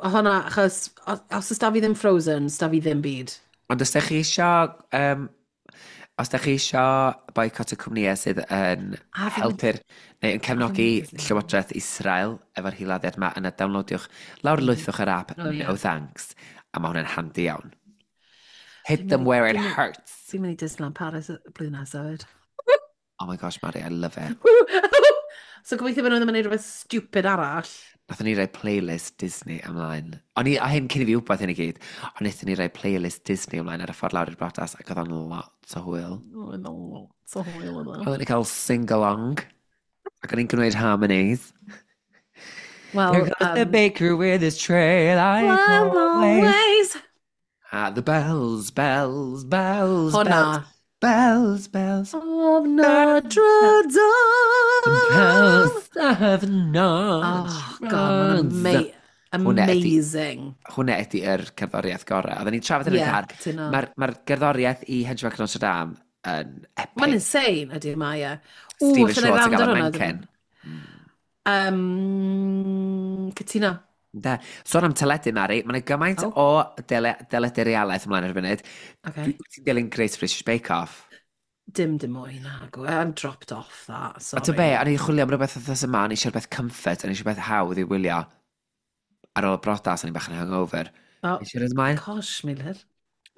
o hwnna, achos os os oes da fi ddim Frozen, sda fi ddim byd. Ond os da chi isio, um, os da chi isio boicot y cwmnïau sydd yn A fi'n mynd- helpu'r, neu yn cefnogi mynd i Disney. Llywodraeth Israel efo'r hiladdiad yma, yna downloadiwch, lawr lwythwch yr app, Oh, ie. No Thanks, a mae hwnna'n handi iawn. Hit Fi'n them mynd i- where it fi'n mynd- hurts. Fi'n mynd i Disneyland Paris y blwyddyn nesaf hefyd. Oh my gosh, Mari, I love it. So gobeithio bod nhw ddim yn gwneud rhywbeth stupid arall. Nathon ni roi playlist Disney ymlaen. O'n i, a hyn cyn i fi wybod hyn i gyd, ond wnaethon ni roi playlist Disney ymlaen ar y ffordd lawr i'r briodas ac oedd o'n lot o hwyl. Oh, no, lot o hwyl yna. Oedden ni cael sing-along, ac o'n i'n gwneud harmonies. Well, Here comes the um, baker with his tray like well, always. always. Ah, the bells, bells, bells, Hwnna. bells, Bells, bells, Of bells, Notre Dame. bells of Notre Oh, God, mae'n ama Dame. Hwna ydi, amazing. hwnna ydi yr cerddoriaeth gorau. Oedden ni'n trafod yn Ie, y yeah, car. cytuno. Mae'r ma gerddoriaeth i Hunchback of Notre Dame yn Mae'n epic. insane, ydy mae e. Ww, Stephen allan ei Schwartz yn rand gael ar y hwnna. menken. Mm. Um, cytuno. Da. Sôn am teledu, Mari, mae'n gymaint Oh, o dele, deledu realaeth ymlaen ar y funud. Dwi okay. Ti'n dilyn Great British Bake Off. Dim dim mwy nag. I'm dropped off that, A ti'n be, sorry. o'n i'n chwilio am rhywbeth wythnos yma, o'n i eisiau rhywbeth comfort, o'n i eisiau rhywbeth hawdd i wylio ar ôl y brodas, o'n i'n bach yn hungover. Oh, Nes i roed ymlaen? gosh, Meilir.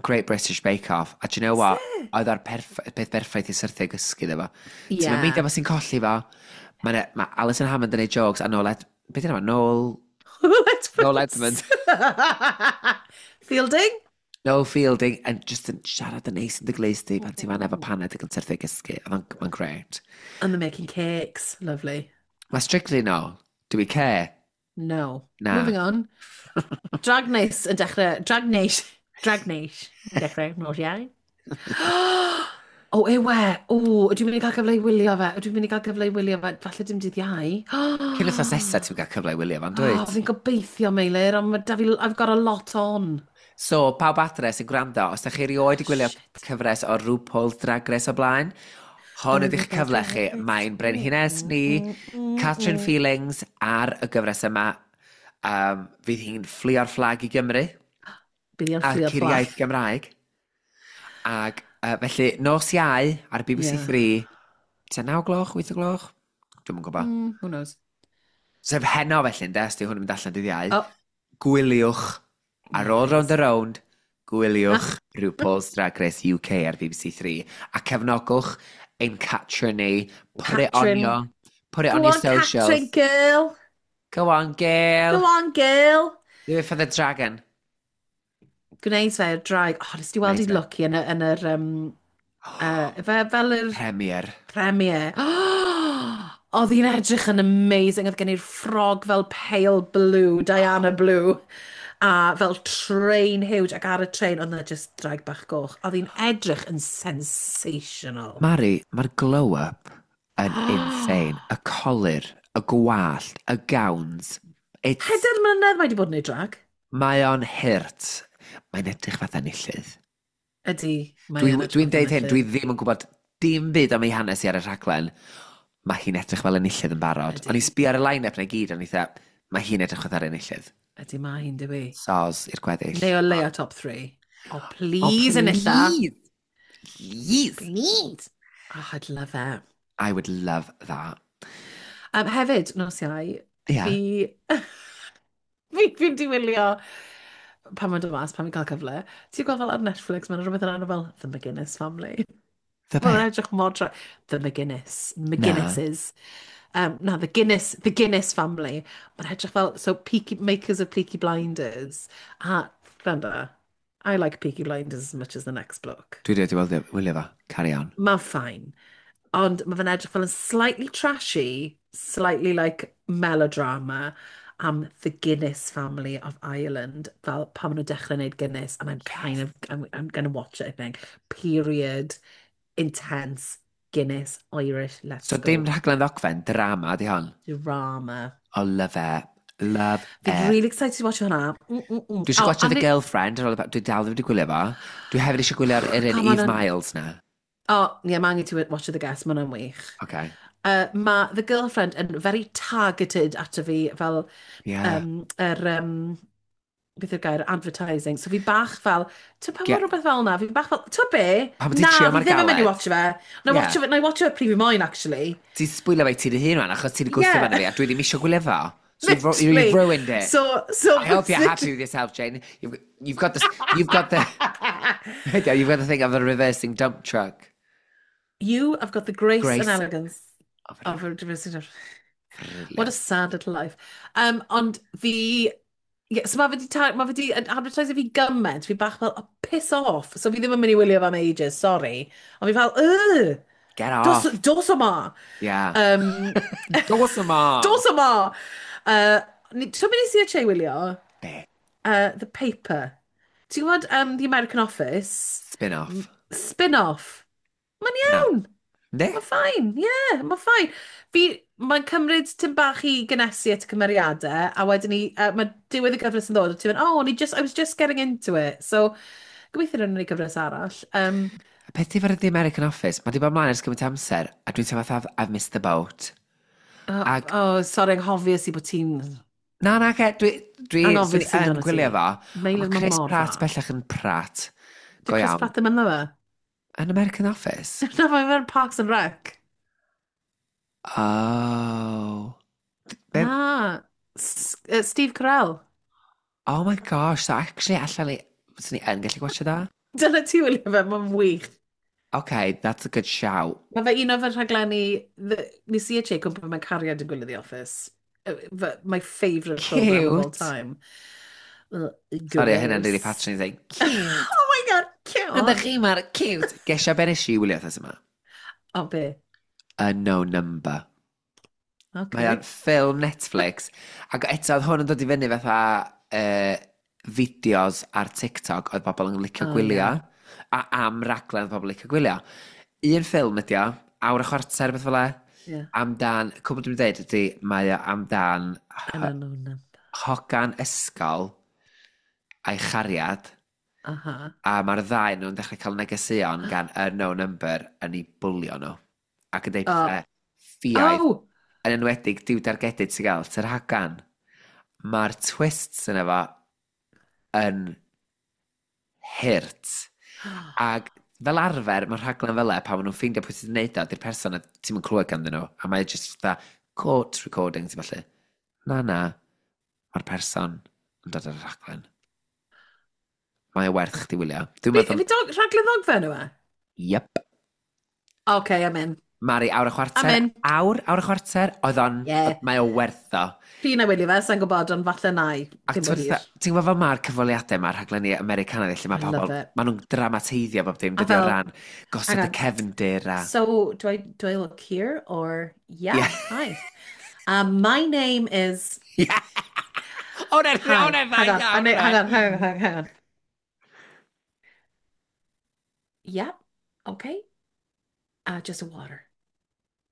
Great British Bake Off. A do you know what? Se? Oedd o'r perff peth berffaith i syrthio i gysgu iddo fo. Ti'n mynd Yeah. meindio bod sy'n colli fo. Mae ma Alison Hammond yn ei jokes a Noel Ed... Be di enw fo? Noel... Noel Edwards. Edmonds. Fielding? Noel Fielding and just yn siarad yn neis yn dy glust di pan ti'n fan efo paned ac yn syrthio i gysgu. Oedd o'n mae'n great. And they're making cakes. Lovely. Mae Strictly no. Do we care? No. Na. Moving on. Drag Race yn dechrau... Drag Race. Drag Race yn dechrau nos Iau. O, ewe. O, ydw i'n mynd i gael cyfle i wylio fe? Ydw i'n mynd i gael cyfle i wylio fe? Falle dim dydd Iau. Cyn wythnos nesaf ti'n cael cyfle i wylio fo'n Oh, dwyt? fi'n gobeithio, Meilir, ond ma' 'da fi, I've got a lot on. So, pawb adre sy'n gwrando, os da chi erioed i gwylio Shit. cyfres o RuPaul's Drag Race o blaen, hwn ydy'ch cyfle chi. Mae'n brenhines ni, Catrin Feelings, ar y gyfres yma. Um, fydd hi'n fflio'r fflag i Gymru, Bydd hi'n a'r fflio'r fflag. curiaeth Gymraeg. Ac uh, felly, nos Iau ar B B C Yeah. three, tua naw gloch, wyth o gloch? Dwi'm yn gwybod. Mm, who knows? Sef heno felly, ynde, os di hwn yn mynd allan dydd Iau. Oh, Gwyliwch ar yeah, ôl Rownd please. a Rownd, gwyliwch RuPaul's Drag Race U K ar B B C three a cefnogwch ein Catrin ni. Put it on Catrin. your, put it on Go your on, Catrin, socials. girl. Go on, girl. Go on, girl. Do it for the dragon. Gwneud fe i'r draig. Oh, nes ti weld Gwneud i fe. Lucky yn y, yn yr, um, uh, fe, fel yr Premiere. premiere. Oedd hi'n edrych yn amazing. Oedd gen i'r ffrog fel pale blue, Diana blue, a fel train huge. Ac ar y train, oedd yna just draig bach goch. Oedd hi'n edrych yn sensational. Mari, mae'r glow-up yn insane. Y colur, y gwallt, y gowns. It's, Pedair mlynedd mae wedi bod yn ei drag. Mae o'n hurt. Mae'n edrych fatha enillydd. Ydy, mae Dwi'n yn edrych dwi fatha deud hyn, dwi enillydd. ddim yn gwybod dim byd am ei hanes i ar y rhaglen. Mae hi'n edrych fel enillydd yn barod. O'n i Ydy. sbio ar y line-up na i gyd, o'n i dda, mae hi'n edrych fatha'r enillydd. Ydy, mae hi'n dywi. Soz i'r gweddill. Neu o leia top three. Oh, Oh, please, enilla. please! Please! Please. Oh, I'd love it. I would love that. Um, hefyd, nos Iau, Yeah. fi... fi fi'n di wylio pan mae'n dod mas, pan fi'n cael cyfle. Ti'n gweld fel ar Netflix, mae'n rhywbeth yn enw fel The McGuinness Family. The Mae'n be? edrych mor tra... The McGuinness. Na. McGuinnesses. Um, na, The Guinness, The Guinness Family. Mae'n edrych fel, so Peaky, makers of Peaky Blinders. A, gwrando, I like Peaky Blinders as much as the next bloke. Dwi wedi wylio, wylio fo. Carry on. Mae'n fine. Ond mae fe'n edrych fel yn slightly trashy, slightly like melodrama am the Guinness family of Ireland, fel pan maen nhw'n dechrau gwneud Guinness, and I'm kind of, I'm, I'm gonna watch it, I think. Period, intense, Guinness, Irish, let's So go. dim rhaglen ddogfen, drama di hon. Drama. Oh, love it. Love Fi'n it. really excited to watch hwnna. Mm, mm, mm. Dwi eisiau Oh, gwatchio a The ni- Girlfriend, ar ôl y- dwi dal ddim wedi gwylio fo. Dwi hefyd eisiau gwylio'r yr un Come on Eve yn. Miles na. Oh, yeah, mae angen ti watch The Guest, mae hwnna'n wych. Okay. Uh, mae The Girlfriend yn very targeted ato fi fel Yeah. um, yr, um, beth yw'r gair, advertising. So fi bach fel, ti'n pan Ge- mae rhywbeth fel na, fi bach fel, ti'n be? Pam ti'n Na, trio fi mor ddim yn mynd i galed? watch fe. Na i Yeah. watch fe, na i watch fe pryd fi moyn, actually. Ti'n sbwylio fe i ti dy hun rwan, achos ti wedi gwthio Yeah. yeah. fi, a dwi ddim eisiau gwylio fo. So you've, ru- Literally. you've ruined it. So, so... I hope you're happy with yourself, Jane. You've, you've got this, you've got the, you've got the thing of a reversing dump truck. You have got the grace, Grace. and elegance Of a of a reversing dump Brilliant. What a sad little life. Um, ond fi... Yeah, so mae fe di, ta- ma fe di advertise fi gymaint, fi bach fel, oh, piss off. So fi ddim yn mynd i wylio fe am ages, sorry. Ond fi fel, ugh, Get dos, off. dos yma. Yeah. Um, Dos yma. Dos yma. Uh, ni- Ti'n mynd i si a che wylio? Be? Uh, The Paper. Ti'n gwybod um, The American Office? Spin-off. Spin-off. Mae'n Na. iawn. Ne? Mae'n fine, ie, yeah, mae'n fine. Fi, mae'n cymryd tim bach i gynnesu at y cymeriadau, a wedyn ni, uh, mae diwedd y gyfres yn ddod, a ti'n mynd, "Oh, o'n i just, I was just getting into it." So, gobeithio rydyn ni gyfres arall. Um, Y peth i fod The American Office, mae di bod ymlaen ers gymaint amser, a dwi'n teimlo fatha I've missed the boat. Oh, Ag, oh, sorry, anghofies i bod ti'n. Na, na, ge, dwi, dwi, Anghofies swn i i yn amdano ti. gwylio fo, ond Meilir, mae mae Chris mor Pratt dda. bellach yn Pratt. Di Go Chris iawn. Pratt ddim ynddo fe? Yn American Office? Na, mae'n fe'n Parks and Rec. Oh. Be, Na, S uh, Steve Carell. Oh my gosh, so actually allan ni, swn i yn gallu gwatchio da? Dyna ti wylio fe, mae'n wych. Okay, that's a good shout. Mae fe un o fy rhaglenni, the- nes i a Jake gwybod mewn cariad yn gwylio The Office. Uh, fy- My favourite programme of all Cute. time. Uh, Sorry, hynna'n really Gross. patronising. Cute. Oh my God, cute. Ydych chi mor cute. Gesio be nes i wylio wythnos yma? O, be? A No Number. Mae o'n Okay. ffilm Netflix. Ac eto, oedd hwn yn dod i fyny fatha uh, fideos ar TikTok oedd bobl yn licio Oh, gwylio. yeah. A am raglen oedd bobl yn licio gwylio. Un ffilm ydi o, awr a chwarter beth fel e. Yeah. Amdan, cwbl dwi'n dweud ydi, mae o amdan An unknown number. hogan ysgol a'i chariad. Aha. A mae'r ddau nhw'n dechrau cael negeseuon gan unknown number yn ei bwlio nhw. Ac yn deud Oh. pethau ffiaidd. Oh! Yn enwedig diw dargedu ti'n gael, ty'r hagan. Mae'r twists yna fo yn hurt. Ac fel arfer, mae'r rhaglen fel e, pan maen nhw'n ffeindio pwy sydd wedi gwneud o, di'r person a ti'm yn clywed ganddyn nhw. A mae just fatha court recordings, felly. Na, na, mae'r person yn dod ar y rhaglen. Mae o werth chdi wylio. Dwi'n Fi, meddwl. fi dog, rhaglen ddogfen yw e? Yep. Okay, I'm in. Mari, awr a chwarter. I'm in. Awr, awr a chwarter. Oedd o'n. Yeah. Mae o werth o. Fi na wylio fe, sa'n gwybod, ond falle na i. Ac Cyn bo ti'n hir. ti'n gwybod fel mae'r cyfweliadau mae'r rhaglenni Americanaidd lle mae I love pobl, it. maen nhw'n dramateiddio bob dim, A dydy o fel- ran gosod y hang on. cefndir a. So, do I, do I look here or... Yeah, Yeah. hi. Um, my name is... Yeah. O, na, Hi. o, na, Hang on, hang on, hang on, hang on, hang on. Yeah, okay. Uh, just a water.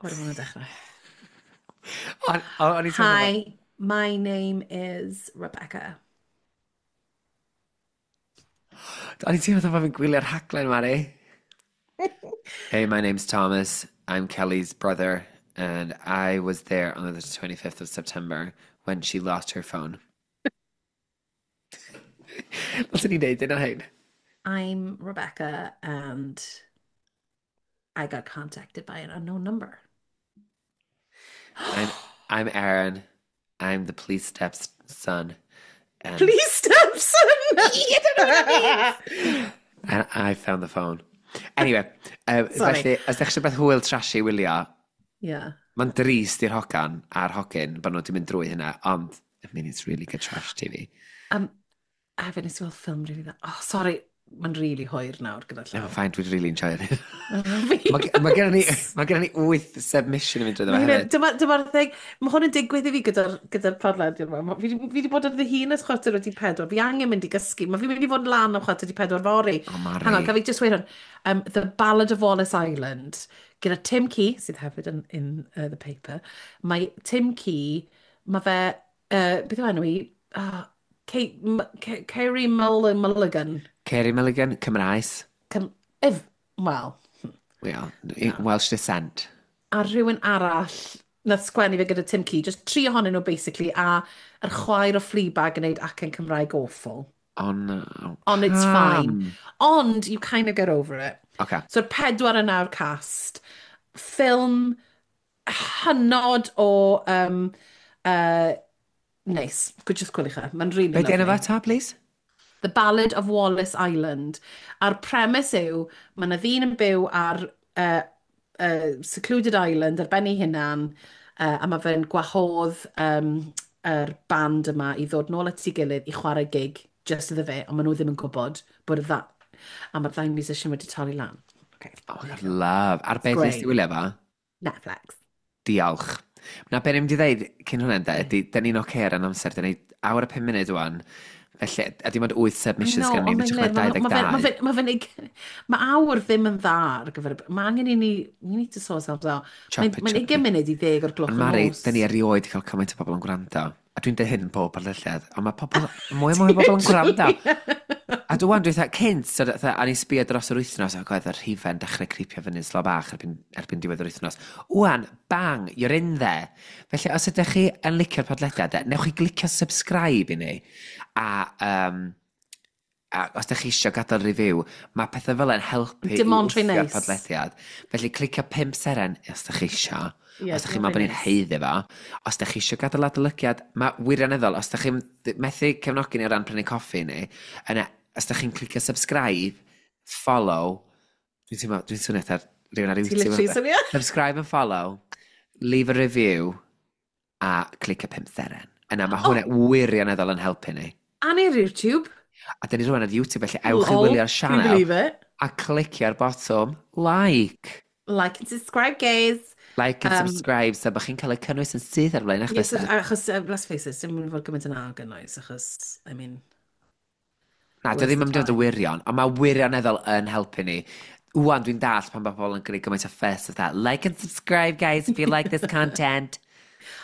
What do I want to dechrau? O'n i'n teimlo. Hi, my name is Rebecca. O'n i'n teimlo fatha bod fi'n gwylio'r rhaglen, Mari. "Hey, my name's Thomas. I'm Kelly's brother, and I was there on the twenty-fifth of September when she lost her phone." Ddylsen ni wneud un o hyn. I'm Rebecca and I got contacted by an unknown number. I'm, I'm Aaron. I'm the police stepson. And, Please, stepson! I don't know what that means. And I found the phone. Anyway, um, Sorry. felly, os ydych chi'n beth hwyl trashy wylio, Yeah. mae'n drist i'r hogan a'r hogyn bod nhw wedi mynd drwy hynna, ond, I mean, it's really good trash T V. Um, a hefyd nes i weld ffilm really dda. Oh, sorry, mae'n really hwyr nawr gyda No, llaw. fine, dwi'n really enjoy it. Fi- Mae ma gennym ni, ma gennym ni wyth submission i fynd drwy Mae fe hynna- hefyd. Dyma, dyma'r thing, mae hwn yn digwydd i fi gyda'r gyda podlediad yma. Ma- Fi 'di fi 'di bod ar ddihun ers chwarter wedi pedwar. Fi angen mynd i gysgu. Mae fi'n mynd i fod lan am chwarter wedi pedwar fory. O, Mari. Hang on, gaf fi just weud hwn. Um, The Ballad of Wallace Island, gyda Tim Key, sydd hefyd yn in uh, the paper. Mae Tim Key, mae fe, uh, beth yw enw i? Uh, Kate, M K Carey Mull Mulligan. Carey Mulligan, Cymraes. Cym if, well, Well, Welsh descent. A rhywun arall nath sgwennu fe gyda Tim Key, just tri ohonyn nhw basically, a yr chwaer o Fleabag yn neud acen Cymraeg awful. Oh no. Ond it's fine. Pam? Ond you kind of get over it. Okay. So'r pedwar yn awr cast. Ffilm hynod o um, uh, nice. Good, just gwylwch e. Mae'n really Be di enw lovely. fe ta, please? The Ballad of Wallace Island. A'r premise yw, mae yna ddyn yn byw ar uh, uh, secluded island ar ben ei hunan, uh, a mae fe'n gwahodd um, yr band yma i ddod nôl at ei gilydd i chwarae gig just iddo fe, ond maen nhw ddim yn gwybod bod y dda... A mae'r ddau musician wedi torri lan. Okay. Oh my God, love. Ar beth nes ti Great. wylio fo? Netflix. Diolch. Na, be ni'n mynd i ddeud cyn hwnna, de, ydy, da ni'n oce ar yn amser, da ni awr a pum munud wan. Felly, a dim ond wyth I submissions know, gen ni, ond mae'n mae'n dau ma, ddeg ma, ma, dau. ma, ma, ma awr ddim yn dda ar gyfer... y- Mae angen i ni... We need to sort ourselves out. Mae'n Chop it, mae chop ugain it. munud i ddeg o'r gloch Ond y Mari, nos. da ni erioed cael cymaint o bobl yn gwrando. A dwi'n dweud hyn yn bob podlediad, ond mae pobl, mwy a mwy o bobl yn gwrando. A dwi'n dwi'n dweud, cynt, so, fatha, a ni'n sbio dros yr wythnos, ac oedd y rhifau'n dechrau creepio fyny'n slo bach erbyn, erbyn diwedd yr wythnos. Wan, bang, you're in there. Felly, os ydych chi yn licio'r podlediad, newch chi glicio subscribe i ni. A, um, a os ydych chi eisiau gadael review, mae pethau fel yn helpu i Dim ond rhy wthio'r neis. podlediad. Felly, clicio pump seren os ydych chi eisiau. Ie, Os ydych dim chi'n ond meddwl bod rhy ni'n neis. haeddu fo. Os ydych chi eisiau gadael adolygiad, mae wirioneddol, os ydych chi'n methu cefnogi ni o ran prynu coffi ni, yna, os ydych chi'n clicio subscribe, follow, dwi'n teimlo, dwi'n swnio fatha rhywun ar Ti YouTube. literally swnio? Subscribe and follow, leave a review, a clicio pump seren. Yna, mae hwnna wirioneddol yn helpu ni. A ni'r YouTube. A dyn ni rwan ar YouTube, felly ewch i Lol, wylio'r Can you sianel believe it? a clicio'r botwm like. Like and subscribe, guys. Like and Um, subscribe, so bod chi'n cael y cynnwys yn syth ar flaen eich Yes, bysedd. achos, uh, let's face it, dim yn fod gymaint yn gynnwys, achos, I mean. Na, dio ddim yn mynd i fod yn wirion, ond mae wirioneddol yn helpu ni. Wan, dwi'n dallt pan mae pobl yn gwneud gymaint o fuss of that. Like and subscribe, guys, if you like this content.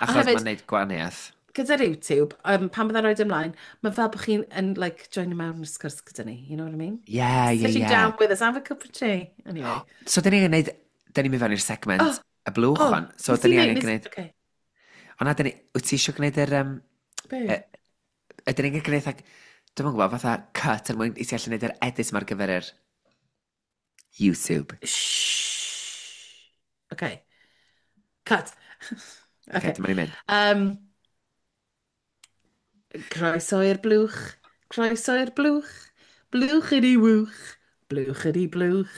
Achos hefyd- mae'n neud gwahaniaeth. Gyda'r YouTube, um, pan byddai'n rhoi ymlaen, mae fel bod chi'n yn, like, join mewn i'r sgwrs gyda ni, you know what I mean? Yeah, yeah, Sitting yeah. down with us, have a cup of tea. Anyway. So, dyn ni'n gwneud, dyn ni'n mynd fewn i'r segment Oh, y blwch oh, hon. So, nes dyn i ni neud- angen nes- gwneud. Okay. Ond na, dyn ni, wyt ti eisiau gwneud yr... Um, Be? e- ydyn ni'n gwneud, ag, dwi'n gwybod, fatha cut er mwyn i ti allu gwneud yr edit yma ar gyfer yr YouTube. Shh. Okay. Cut. Okay, Okay. dyma ni'n mynd. Um, croeso i'r blwch, croeso i'r blwch, blwch ydi wwch, blwch ydi blwch.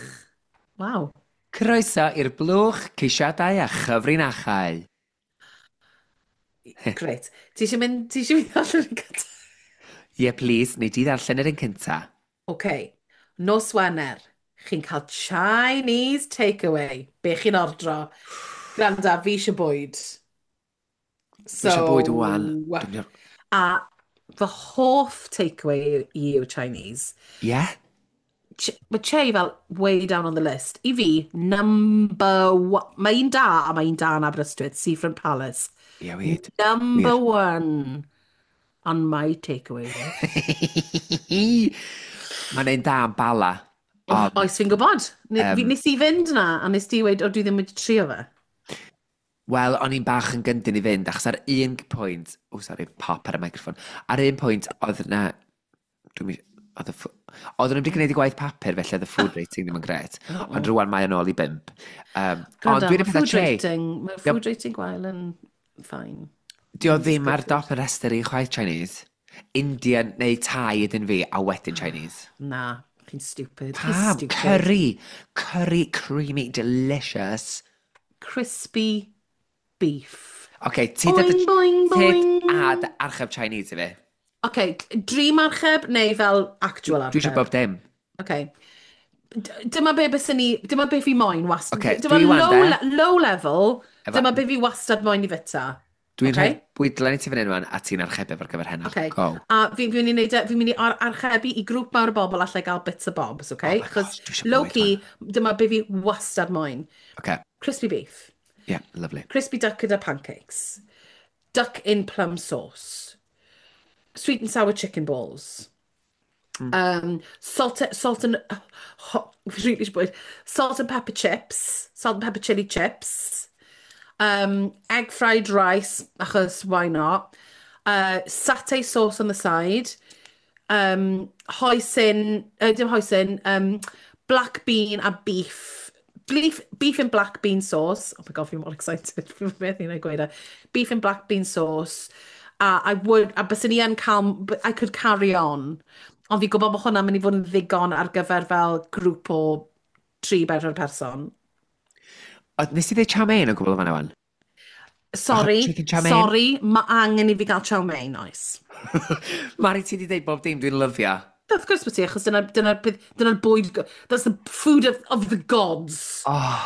Waw. Croeso i'r blwch ceisiadau a chyfrinachau. Great. Ti eisiau mynd, ti eisiau mynd allan yn gyntaf? Ie, yeah, please, nei di ddarllen yr un cynta. OK. Nos Wener, chi'n cael Chinese takeaway. Be chi'n ordro? Gwranda, fi eisiau bwyd. Dwi eisiau bwyd wan. Dwi'n mynd- A fy hoff takeaway i yw Chinese. Ie? Ch mae Che fel way down on the list. I fi, number one. Mae un da, a mae un da yn Aberystwyth, Seafront Palace. Ie, wir. Number one on my takeaway list. Mae'n ein da am Bala. Ond, Oes fi'n gwybod. Ne, Yym. fi, nes i fynd na, a nes di weud, o, dwi ddim wedi trio fe. Wel, o'n i'n bach yn gyndyn i fynd, achos ar un pwynt. O, sorry, pop ar y microffon. Ar un pwynt, oedd na. Dwi'n oedd y ffw- Oedden nhw wedi gwneud i gwaith papur, felly oedd y food rating ddim yn gret. Ond rwan mae yn ôl i bump. Um, ond Gwranda, dwi'n mae pethau food che. rating, mae food rating gwael yn fine. Di o ddim ar dop y rhestr i chwaith Chinese. Indian neu Thai ydyn fi, a wedyn Chinese. Na, chi'n stupid. Chi'n Pam? stupid. Curry. Curry, creamy, delicious. Crispy beef. OK, ti dod Boing, boing, boing. Tyd a dy archeb Chinese i fi. OK, dream archeb neu fel actual archeb? Dwi eisiau bob dim. OK. D- Dyma be byswn ni, dyma be fi moyn wastad. Ocê, dyma dwi wan low, de. le low level, Efo- dyma be fi wastad moyn i fyta. Dwi'n Ocê. rhoi bwydlen i ti fan hyn wan, a ti'n archebu ar gyfer heno. Okay. Go. A fi, fi mynd i neud, e- fi'n mynd i ar archebu i grŵp mawr o bobl allai gael bits o bobs, okay? Oh my gosh, dwi eisiau low bwyd key, dyma be fi wastad moyn. OK, Crispy beef. Yeah, lovely. Crispy duck gyda pancakes. Duck in plum sauce. Sweet and sour chicken balls. Um, salt, salt and, oh, really eisiau bwyd. Salt and pepper chips. Salt and pepper chili chips. Um, egg fried rice, achos why not? Uh, satay sauce on the side. Um, hoisin, uh, dim hoisin, um, black bean a beef. Beef, beef and black bean sauce. Oh my God, fi'n mor excited. Fi'n methu na gweud e. Beef and black bean sauce. A I would, a byswn i yn cael, but I could carry on. Ond fi'n gwybod bod hwnna'n mynd i fod yn ddigon ar gyfer fel grŵp o tri bedwar person. O, nes i ddweud chow mein o gwbl o fan'na wan? Sorry, Chicken chow mein? Sorry, mae angen i fi gael chow mein, oes. Mari, ti di dweud bob dim dwi'n lyfio. Of course bod ti, achos dyna'r dyna, dyna bwyd, that's the food of, of the gods. Oh,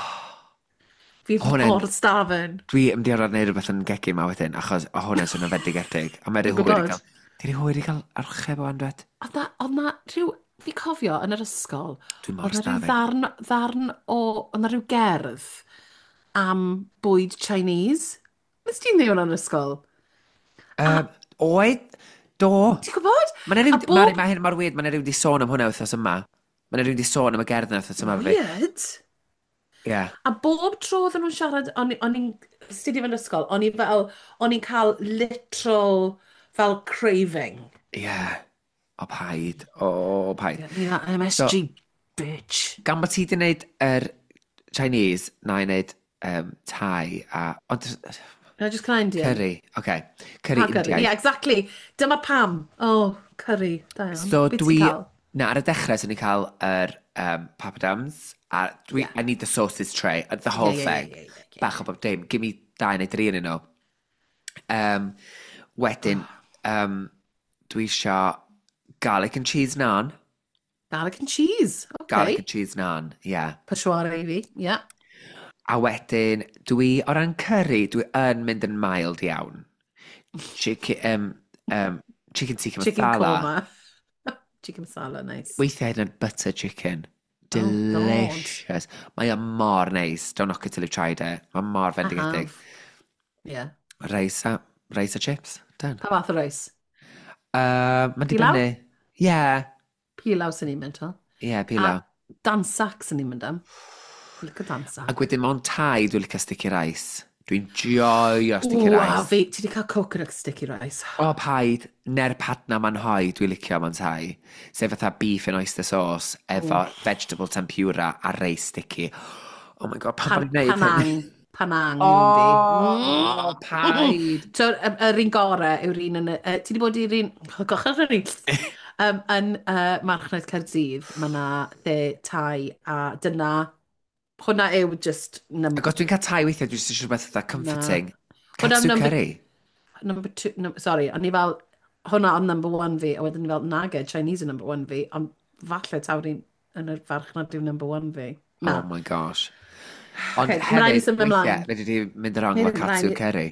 Fi'n hwnna'n- mor starving. Dwi yn mynd i orfod wneud rhywbeth yn gegin ma wedyn, achos o hwnna'n swnio'n fendigedig. A mae rhyw Dwi'n hwyr i gwybod. gael. Di rhy hwyr i gael archeb o dwed? Oedd na, oedd na rhyw, fi cofio yn yr ysgol, Dwi'n mor oedd na rhyw starving. ddarn, ddarn o, oedd na rhyw gerdd am bwyd Chinese. Nes ti'n dweud hwnna yn yr ysgol? A Um, oed? Do. ti'n gwybod? Mae 'na ryw, A Mari, bob mae hyn mor weird, mae 'na rhyw di sôn am hwnna wythnos yma. Mae 'na rhyw di sôn am y gerdd yna wythnos yma efo fi. weird. Ie. Yeah. A bob tro oedden nhw'n siarad, o'n o'n i'n studio fe'n ysgol, o'n i fel, o'n i'n cael literal fel craving. Ie. Yeah. O paid. O, paid. Get me that So, M S G, bitch. Gan bod ti di wneud yr Chinese, na i wneud um, Thai a... Ond, No, just kind Indian. curry, oce. Okay. Curry Pa curry? Indiaidd. Yeah, exactly. Dyma pam. Oh, curry. Da iawn. So Be ti'n dwi... cael? Na, ar y dechrau, swn i'n cael yr um, papadums, a dwi... Yeah. I need the sauces tray, the whole Yeah, yeah, thing. yeah, yeah, yeah, yeah. Bach o bob dim. Give me dau neu dri yn nhw. Um, wedyn, um, dwi isio garlic and cheese naan. Garlic and cheese. Garlic Okay. and cheese naan, yeah. Peshwar i fi. Yeah. A wedyn, dwi, o ran curry, dwi yn mynd yn mild iawn. Chicken, um, um, chicken tikka Chicken masala. korma. Chicken masala, nice. Weithiau hyd yn oed butter chicken. Oh, God. Delicious. Mae o mor neis. Don't knock it till you've tried it. Mae mor I fendigedig. have. Yeah. Rice a, rice a chips. Done. Pa fath o reis? Uh, Mae'n Pilau? dibynnu. Yeah. Pilau sy'n ni'n mynd o. Yeah, pilau. A dansak sy'n ni'n mynd am. Look at dansak. Ac wedyn mewn Thai, dwi'n licio sticky rice. Dwi'n joio sticky Wow, rice. fi, ti wedi cael coconut sticky rice. O, paid. Ner padna man hoi, dwi'n licio mewn Thai. Sef fatha beef and oyster sauce efo vegetable tempura a rice sticky. Oh my God, pam Pan, bod ni'n neud hyn? panang. Panang yw fi. Oh, paid. So, y- yr un gore yw'r un yn... y- yy, Ti wedi bod i'r un... Goch ar un. Um, yn uh, Marchnad Caerdydd, mae yna lle Thai a dyna... Hwna yw just number, Ac os dwi'n cael Thai weithiau, dwi'n eisiau rhywbeth fatha comforting. Hwnna Katsu number- curry. number two... No, sorry, o'n i fel... Hwna ond number one fi, a wedyn ni fel, nage, Chinese yw number one fi, ond falle taw'r un yn y farchnad yw number one fi. Na. Oh my gosh. Ond Okay, ma' raid i hefyd, symud ymlaen. weithiau, fedri di mynd wrong efo Neu- katsu raid- curry.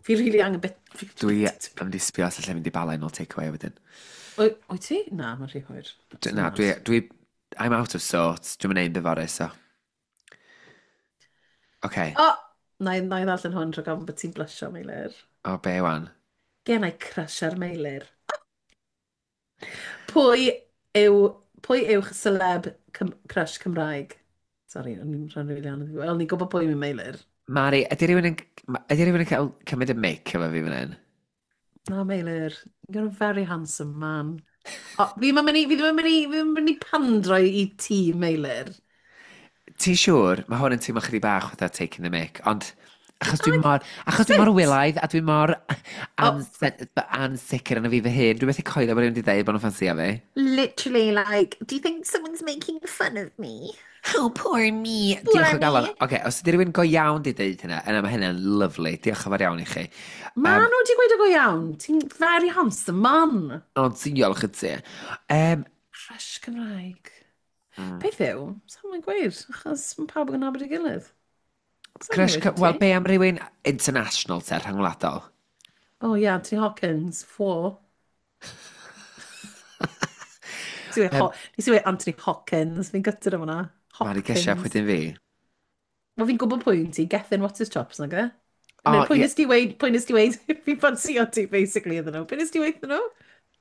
Fi really angen bit... fi- Dwi am di sbio os allai mynd i Bala i nôl takeaway wedyn. Wyt wyt ti? Na, mae'n rhy hwyr. D- Na, dwi, dwi, I'm out of sorts. Dwi'n mynd ein fory, so. Okay. O! Na i, na i ddarllen hwn rhag ofn bod ti'n blysio, Meilir. O, be wan? Gen i crush ar Meilir. Pwy yw, pwy yw'ch celeb Cym crush Cymraeg? Sorry, o'n i'n rhan rili anodd. Wel, ni'n gwybod pwy yw Meilir. Mari, ydy rhywun yn, ydy rhywun yn cael cymryd y mic efo fi fan hyn? Na, Meilir. You're a very handsome man. O, fi ddim yn mynd i, fi ddim yn mynd i, fi ddim yn mynd i pandro i ti, Meilir. Ti'n siŵr? Mae hwn yn teimlo chydig bach fatha taking the mic, ond achos dwi'n mor, achos dwi'n mor Sut? wylaidd a dwi'n mor O, ansicr yn y fi fy hun. Dwi'n methu coelio bod rhywun wedi dweud bod nhw'n ffansio fi. Literally, like, do you think someone's making fun of me? Oh, poor me. Poor Diolch o galon. me. Oce, okay, os ydy rhywun go iawn di dweud hynna, yna mae hynna'n lovely. Diolch yn fawr iawn i chi. Ma Um, nhw wedi gweud o go iawn. Ti'n very handsome man. Ond diolch i ti. Um, Crush Cymraeg. mm. Beth yw? Sa'n mae'n gweud, achos mae pawb yn nabod ei gilydd. Sa'n Crush, gweud i wel, ti? be am rhywun international te, rhyngwladol? Oh yeah, Anthony Hopkins, four. Nes i weud Um, Ho- nes i weud Anthony Hopkins, fi'n gytid am hwnna. Mari, gesio pwy Hopkins. dyn fi? Wel, fi'n gwybod pwy yn ti, Gethin, what's his chops, nag e? O, Neu, pwy ie. nes ti weud, pwy nes ti weud, fi'n ffansio ti, basically, iddyn nhw. Pwy nes ti weud iddyn nhw?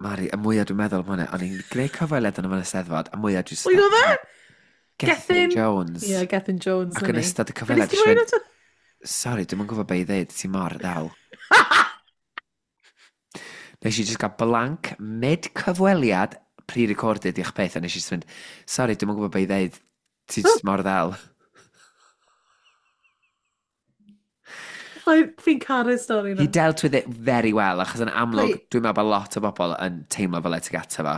Mari, y mwyaf dwi'n meddwl am hwnna, o'n i'n gwneud cyfweliad yn y Steddfod, a mwyaf dwi'n Pwy oedd e? Gethin Gethin? Jones. Ie, yeah, Gethin Jones, Ac na yn ni. ystod y Pwy nes cyfweliad, ti dwi'n weud mynd, eto? sorry, dwi'm yn gwybod be i ddeud, ti mor ddel. Nes i just gael blank mid-cyfweliad pre-recorded i'ch peth, a nes i just mynd, sorry, dwi'm yn gwybod be i ddeud, ti just mor ddel. Fi'n caru'r stori He na. dealt with it very well, achos yn amlwg, Pwy? dwi'n meddwl bod lot o bobl yn teimlo fel e tuag ato fo.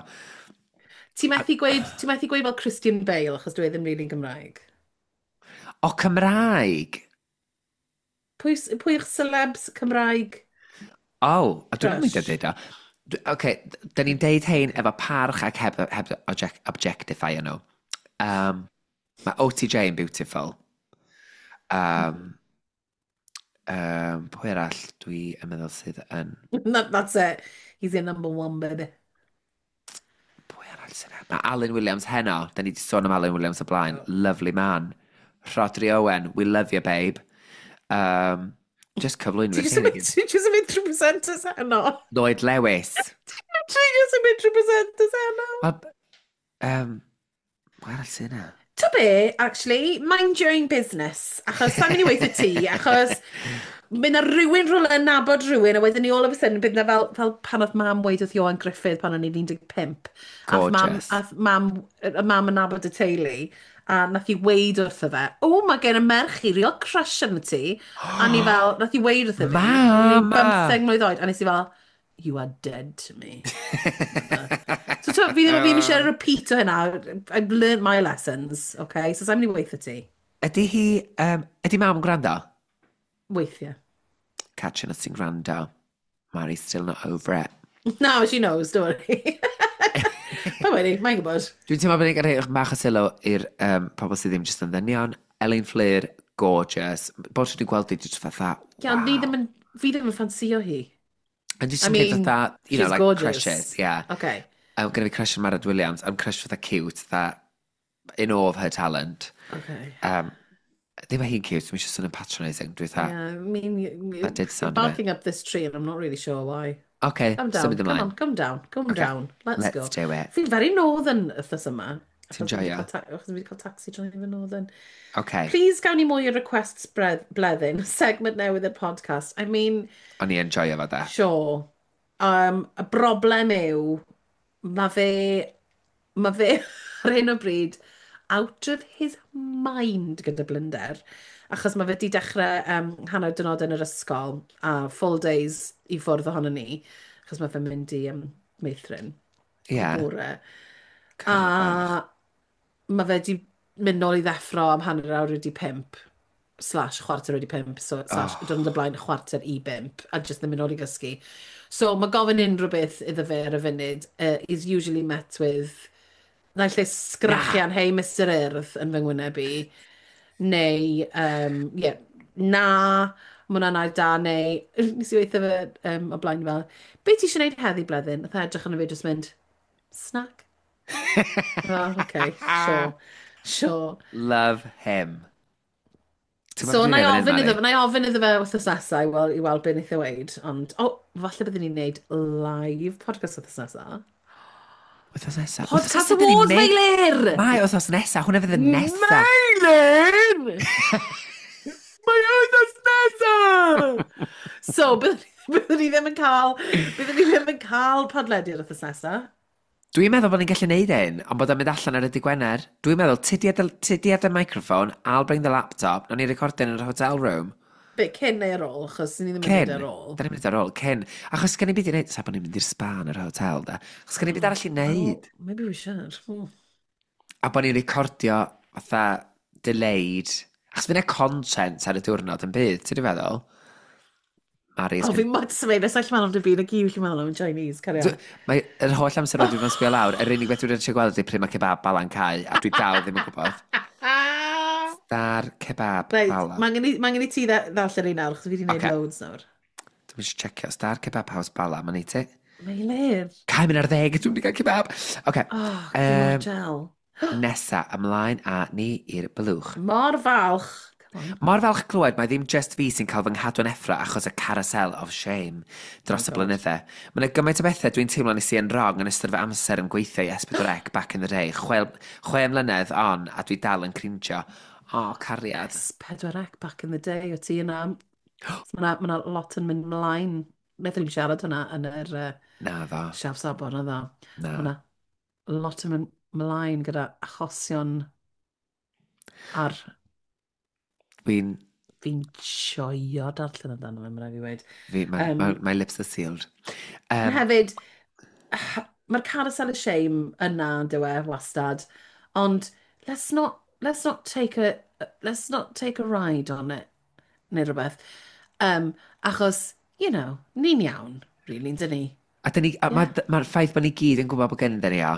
Ti'n methu gweud, ti'n methu gweud fel Christian Bale, achos dwi e ddim really'n Gymraeg. O, Cymraeg! Pwy, s- pwy yw'ch celebs Cymraeg O, a dwi'n mynd i crush? dweud o. Oce, da ni'n deud hein efo parch ac heb, heb object, objectify nhw. Um, mae O T J yn beautiful. Um, um, pwy arall dwi yn meddwl sydd yn... That, that's it. He's your number one, baby. Pwy arall sy'n yna? Mae Alan Williams heno. Da ni wedi sôn am Alan Williams o blaen. Oh. Lovely man. Rhodri Owen, we love you, babe. Um, just cyflwynwyr. Ti jyst yn mynd, ti jyst yn mynd trwy presenters heno. Lloyd Lewis. Ti jyst yn mynd trwy presenters heno. Wel, um, pwy arall sy'n yna? To be, actually, mind your own business. Achos sa'n mynd i weithio ti, achos bydd na rhywun rhywle yn nabod rhywun, a wedyn ni all of a sudden, bydd na fel, fel pan oedd mam weid wrth Ioan Gruffudd pan o'n i'n un deg pump. Ath mam, Gorgeous. Ath mam, y mam yn nabod y teulu, a nath i weid wrtho fe, "O, mae gen y merch i real crush arno ti." A ni fel, nath i weid wrtho fi, o'n i'n Mama! bymtheg mlwydd oed, a nes i fel, "You are dead to me." So to, fi ddim, fi ddim eisiau repeat o hynna. I've learned my lessons, okay? So sa'n mynd i weithio ti. Ydy hi, um, ydy mam yn gwrando? Weithiau. Catching us sy'n gwrando. Mari's still not over it. No, she knows, don't worry. Pa wedi, mae'n gwybod. Dwi'n teimlo bod ni'n cael rhoi bach o sylw i'r um, pobl sydd ddim jyst yn ddynion. Elin Fflur, gorgeous. Bod dwi'n gweld i jyst fatha, Ie, ond ni ddim yn, fi ddim yn ffansio hi. And just I I mean, mean, fatha, you know, she's like gorgeous. crushes, yeah. Okay. Um, gynna fi crush on Mared Williams. I'm crush fatha cute, fatha in awe of her talent. Okay. Um, ddim mae hi'n cute, dwi'n eisiau sôn yn patronising. Dwi'n fatha, Yeah, I mean, you, you, That did you're sound a bit- barking up this tree and I'm not really sure why. Okay, Calm down, symud come ymlaen. on, come down, come Okay, down. Let's let's go. do it. Fi'n very northern wythnos yma. Ti'n Achos fi 'di joio? cael ta- Achos fi wedi cael taxi driver northern. Okay, Please gawn ni mwy o requests bredd, bleddyn, segment newydd i'r podcast. I mean, o'n i enjoyo fo da. Sure. Um, y broblem yw, mae fe, mae fe ar hyn o bryd out of his mind gyda blinder. Achos mae fe wedi dechrau um, hanner diwrnod yn yr ysgol a full days i ffwrdd ohono ni. Achos mae fe'n mynd i um, meithrin Ie. Yeah. bore. A mae fe wedi mynd nôl i ddeffro am hanner awr wedi pump slash chwarter wedi pump, so slash oh. Diwrnod y blaen chwarter i bump, a just ddim mynd nôl i gysgu. So mae gofyn unrhyw beth iddo fe ar y funud uh, is usually met with naill ai sgrachian "Hey Mister Urdd" yn fy ngwyneb i, neu, um, yeah, na, mae hwnna'n air da, neu, nes i weithio fe um, o blaen fel, "Be ti eisiau gwneud heddi, Bleddyn?" Nath e edrych arno fi just mynd, "Snack." Oh, okay, sure, sure. Love him. Ti'n So, gwbod na i beth dwi'n ofyn meddwl, iddo, Mari? na i ofyn iddo fe wythnos nesaf i weld, i weld beth wnaeth e weud, ond, oh, falle byddwn ni'n neud live podcast wythnos nesaf. Wythnos nesaf. Podcast Awards, Meilir! Mae wythnos nesaf, hwnna fydd y nesaf. Meilir! Mae wythnos nesaf! So, byddwn ni, byddwn ni ddim yn cael, byddwn ni ddim yn cael podlediad wythnos nesaf. Dwi'n meddwl bod ni'n gallu neud un, ond bod o'n mynd allan ar y dydd Gwener. Dwi'n meddwl, ti di ti di ar y microphone, I'll bring the laptop, nawn ni recordio yn yr hotel room. Be, cyn neu ar ôl, achos ni ddim yn Cyn. mynd ar ôl. Da ni'n mynd ar ôl, cyn. Achos gen i byd i wneud, sa bod ni'n mynd i'r spa yn yr hotel, da. Achos gen i byd arall i wneud. Oh, maybe we should. Hmm. A bod ni'n recordio fatha delayed. Achos fydd yna content ar y diwrnod yn bydd, ti'n feddwl? Mari O, fi'n modd symud, nes all meddwl am dy byd, y gyd fi'n meddwl am yn Chinese, carry on. Mae yr holl amser wedi bod yn sbio lawr, yr unig beth dwi'n eisiau gweld ydy pryd mae kebab Bala'n cau, a dwi dal ddim yn gwybod. Star Kebab Reit, Bala. mae angen i, ma' angen i ti dda- ddarllen un nawr, achos fi wedi gwneud Ocê. loads nawr. Dwi'n eisiau checio. Star Kebab House Bala, mae'n neud ti. Meilir. Cau mynd ar ddeg, dwi'n mynd i gael kebab. Oce, Oh, Yym, um, gel. Nesa, ymlaen a ni i'r blwch. Mor falch. Come on. Mor falch clywed mae ddim just fi sy'n cael fy nghadw'n effro achos y carousel of shame dros Oh y God. blynydde. Mae yna gymaint o bethau dwi'n teimlo nes i yn wrong yn ystod fy amser yn gweithio i S pedwar C back in the day. Chwe, chwe mlynedd on a dwi dal yn cringio. O, oh, cariad. S pedwar C back in the day, o ti yna. Mae yna ma lot yn mynd mlaen. Wnaethon ni'n siarad hwnna yn yr uh, Na ddo. siaf sabon, na ddo. Na. Mae yna lot yn mynd mlaen gyda achosion ar Fi'n... Fi'n joio darllen amdano fe, mae'n rhaid fi weud. Fi, my, Um, my, my lips are sealed. Um, Um, hefyd, mae'r carousel of shame yna, yn dyw e, wastad. Ond let's not, let's not take a, let's not take a ride on it, neu rhywbeth. Um, achos, you know, ni'n iawn, really, dyn ni? A dyn ni, a Yeah. mae'r ma ffaith bod ni gyd yn gwybod bod gen ni o.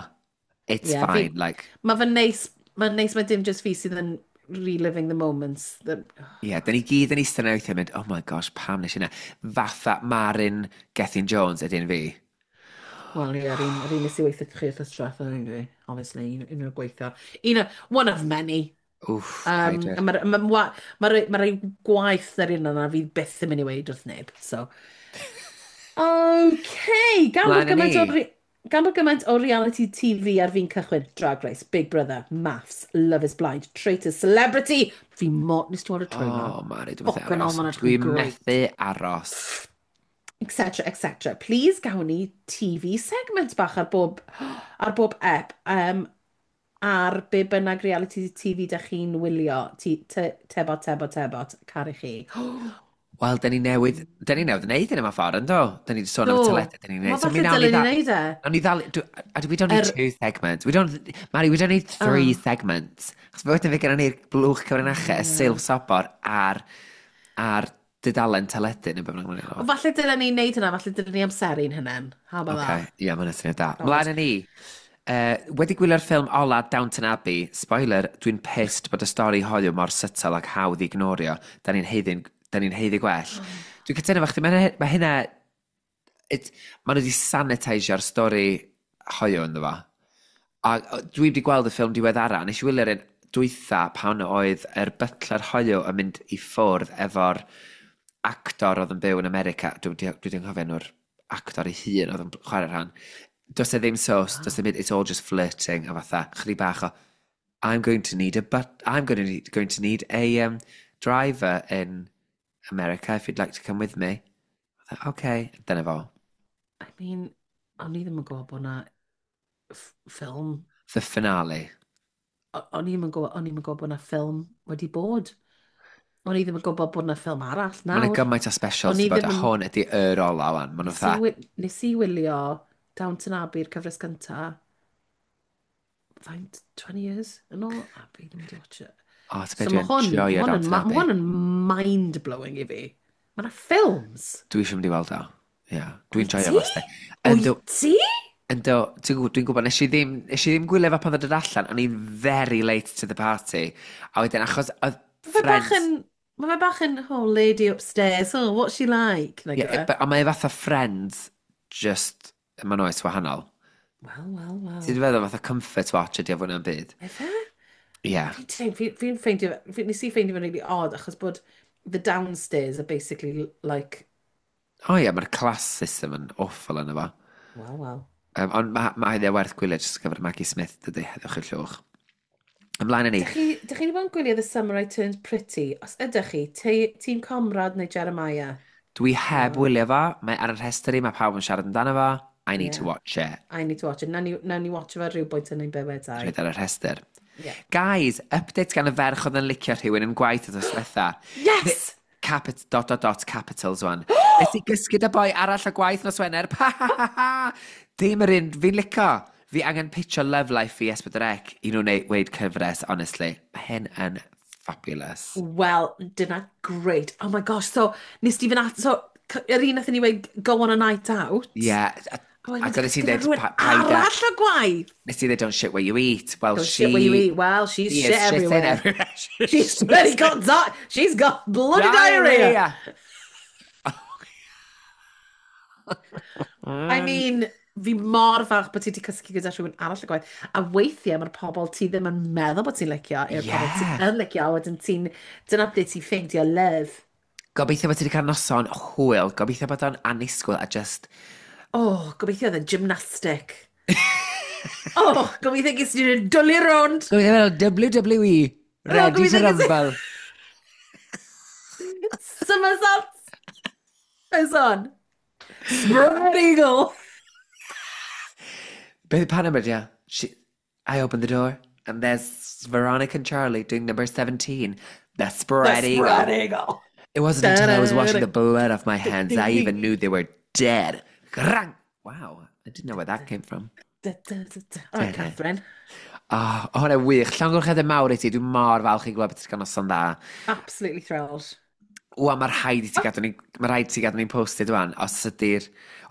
It's Yeah, fine, fi- like... Mae fe'n neis, mae'n neis mae dim just fi sydd yn reliving the moments. The, Ie, yeah, dyn ni gyd yn eistedd yna weithiau yn mynd, "Oh my gosh, pam nes i hynna?" Fatha Marin Gethin Jones ydy'n fi. Wel, ie, yr un, yr un nes i weithio chi wrth diwetha, anyway, obviously, un, un o'r gweithio. Un o, one of many. Wff, Um, paid wir. a Mae'r ma, ma, ma, ma rei gwaith yr un yna fi byth yn mynd i weid wrth neb, so. Okay, gan bod Mlaen â gymaint o, ni. re- gan bod gymaint o reality T V ar fin cychwyn, Drag Race, Big Brother, MAFS, Love is Blind, Traitors, Celebrity. Fi mor, nes ti weld y trailer? Oh, Mari, dwi'n methu Fucking hell, aros. ma'n edrych yn Dwi'n great. methu aros. Etc, et cetera. Please gawn ni T V segment bach ar bob, ar bob ep, um, ar be bynnag reality T V da chi'n wylio. Ti- te- Tebot, tebot, tebot, caru chi. Wel, da ni newydd, da ni newydd wneud yn yma ffordd, ynddo? Da ni wedi sôn am y Do. teledu, da ni'n Mae wneud. So mi falle nawn ni dylen ni dda... wneud e. Nawn ni ddal... do- a we don't need Er- two segments. We don't... Mari, we don't need three Oh. segments. Chos fe wedyn fe gennym ni'r blwch cyfrinachau, y silff sobor a'r, ar dudalen teledu neu beth bynnag ma'n Ond falle dylen ni wneud hynna, falle dylen ni amseru'n hynny. How about Okay, that? ie, mae'n syniad da. God. Mlaen â ni. Uh, wedi gwylio'r ffilm ola Downton Abbey, spoiler, dwi'n pissed bod y stori hoyw mor subtle ac hawdd i ignorio. Da ni'n haeddu, da ni'n haeddu gwell. Dwi'n cytuno efo chdi, mae ma hynna... It, ma nhw wedi sanitisio'r stori hoyw ynddo fo. A o, dwi wedi gweld y ffilm diweddara, nes i wylio'r un dwytha pan oedd yr butler hoyw yn mynd i ffwrdd efo'r actor oedd yn byw yn America. Dwi wedi dwi wedi anghofio enw'r actor ei hun oedd yn chwarae rhan. Does e ddim sos, does e ddim, it's all just flirting a fatha, chydig bach o, "I'm going to need a but, I'm going to need, going to need a um, driver in America if you'd like to come with me." Fatha, "Okay," dyna fo. I mean, o'n i ddim yn gwybod bod na ff- ffilm. The finale. O- O'n i ddim yn gwybod, o'n i ddim yn gwybod bod na ffilm wedi bod. O'n i ddim yn gwybod bod na ffilm arall Mae yna nawr. gymaint o specials O'n i di bod, ddim a yn- hwn ydy yr ola wan. Maen nhw Nes i, fatha, wi- nes i wylio Downton Abbey'r cyfres gynta faint, twenty years yn ôl, a fi ddim wedi watch it. O, ti'n So beth, mae dwi'n hwn, joio ma hwn yn, Downton ma Abbey. hwn yn mind-blowing i fi. Mae yna ffilms. Dwi eisiau mynd i weld o. Ie, dwi'n Wyt joio ti? fo, sti. Yndw, Wyt ti? Yndw, ti'n gwybod, dwi'n gwybod, nes i ddim, nes i ddim gwylio fo pan ddod allan, o'n i'n very late to the party. A wedyn, achos oedd Mae fe bach friends yn, mae fe bach yn, "Oh, lady upstairs, oh, what's she like?" Nag Ie, yw e? but- ond mae e fatha Friends, just, mae'n oes wahanol. Wel, wel, wel. Ti'n feddwl fatha comfort watch ydi o fwy na'n byd? Efe? Ie. Fi'n teim- Fi'n fi ffeindio, fi, nes i ffeindio fe'n really odd achos bod the downstairs are basically like, O ie, mae'r class system yn awful yna fo. Wel, wel. Um, ond mae ma hynny werth gwylio jyst gyfer Maggie Smith, dydy, heddwch i'r llwch. Ymlaen â ni. Dych chi, dych chi wedi bod yn gwylio The Summer I Turned Pretty? Os ydych chi, te, tîm Conrad neu Jeremiah? Dwi heb Oh. wylio fo, mae ar y rhestr i, mae pawb yn siarad amdano fo. I need to Yeah. watch it. I need to watch it. Nawn ni, nawn ni watch fo rhyw bwynt yn ein bywydau. Rhaid ar y rhestr. Yeah. Guys, update gan y ferch oedd yn licio rhywun yn gwaith oedd diwetha. Yes! Capit, dot, dot, dot, capitals one. Nes i gysgu 'da boi arall o gwaith nos Wener. Pa, ha, ha, ha. Dim yr un, fi'n licio. Fi angen pitcho love life fi S pedwar C i nhw wneud weid cyfres, honestly. Mae hyn yn fabulous. Well, dyna great. Oh my gosh, so nes ti fynd at... So, c- yr un nathon ni weid go on a night out. Yeah. A, A wedyn ac oedd ti'n gyda dweud, rhywun pa- paid â- arall o gwaith. Nes ti dweud, "Don't shit where you eat." Well, Don't she shit where you eat. Well, she's she shit is shitting everywhere. everywhere. She's bloody got di- She's got bloody diarrhea. I mean, fi mor falch bod ti wedi cysgu gyda rhywun arall y gwaith. A weithiau mae'r pobl ti ddim yn meddwl bod ti'n licio, yw'r pobl Yeah. ti'n yn licio, a wedyn ti'n, dyna ble ti'n ffeindio love. Gobeithio bod ti wedi cael noson hwyl. Gobeithio bod o'n annisgwyl a just Oh, gobeithio oedd yn gymnastic. Oh, gobeithio ges i'n dwlu rownd. Gobeithio fel W W E. Ready to Gobeithio ges i- rumble. Somersaults. It's on. Spread eagle. Beth pa number, yeah? She, I opened the door and there's Veronica and Charlie doing number seventeen. The spread The eagle. spread eagle. It wasn't until I was washing the blood off my hands I even knew they were dead. Grang! Wow, I didn't know where that came from. Da, da, da, da. All right, Da, da. Catherine. Oh, oh, hwnna wych. Llongyfarchiadau mawr i ti. Dwi'n mor falch i glywed bod ti'n cael noson dda. Absolutely thrilled. Wa, mae'r rhaid i ti gadw ni, mae rhaid i ti gadw ni'n posted wan, os ydy'r,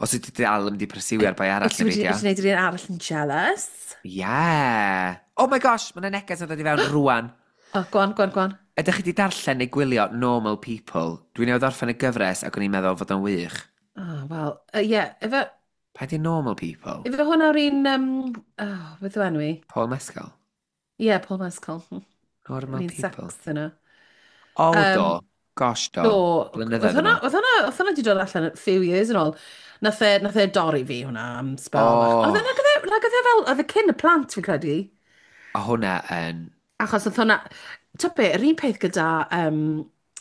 os ydy dal yn mynd i pursueio'r boi arall Wyt ti neu wedi beidio. wedi gwneud yr un arall yn jealous? Yeah. Oh my gosh, mae yna neges yn dod i fewn rwan. Oh, go on, go on, go on. Ydych chi wedi darllen neu gwylio Normal People? Dwi'n newydd orffen y gyfres ac o'n i'n meddwl fod o'n wych. Oh, well, uh, yeah, efe, Pa di Normal People? Ife hwnna'r un... Um, oh, beth yw enw i? Paul Mescal? Ie, yeah, Paul Mescal. Normal Yr un People. sex yna. O, Um, do. Gosh, do. Do, oedd Blynyddoedd yn hwnna, ôl. oedd hwnna, oedd hwnna 'di dod allan a few years yn ôl. Nath e, nath e dorri fi hwnna am spel bach. Oedd Oh, e, nag oedd e, nag oedd e fel, oedd e cyn y plant fi'n credu. o hwnna yn... Achos oedd hwnna, ta be, yr un peth gyda, um,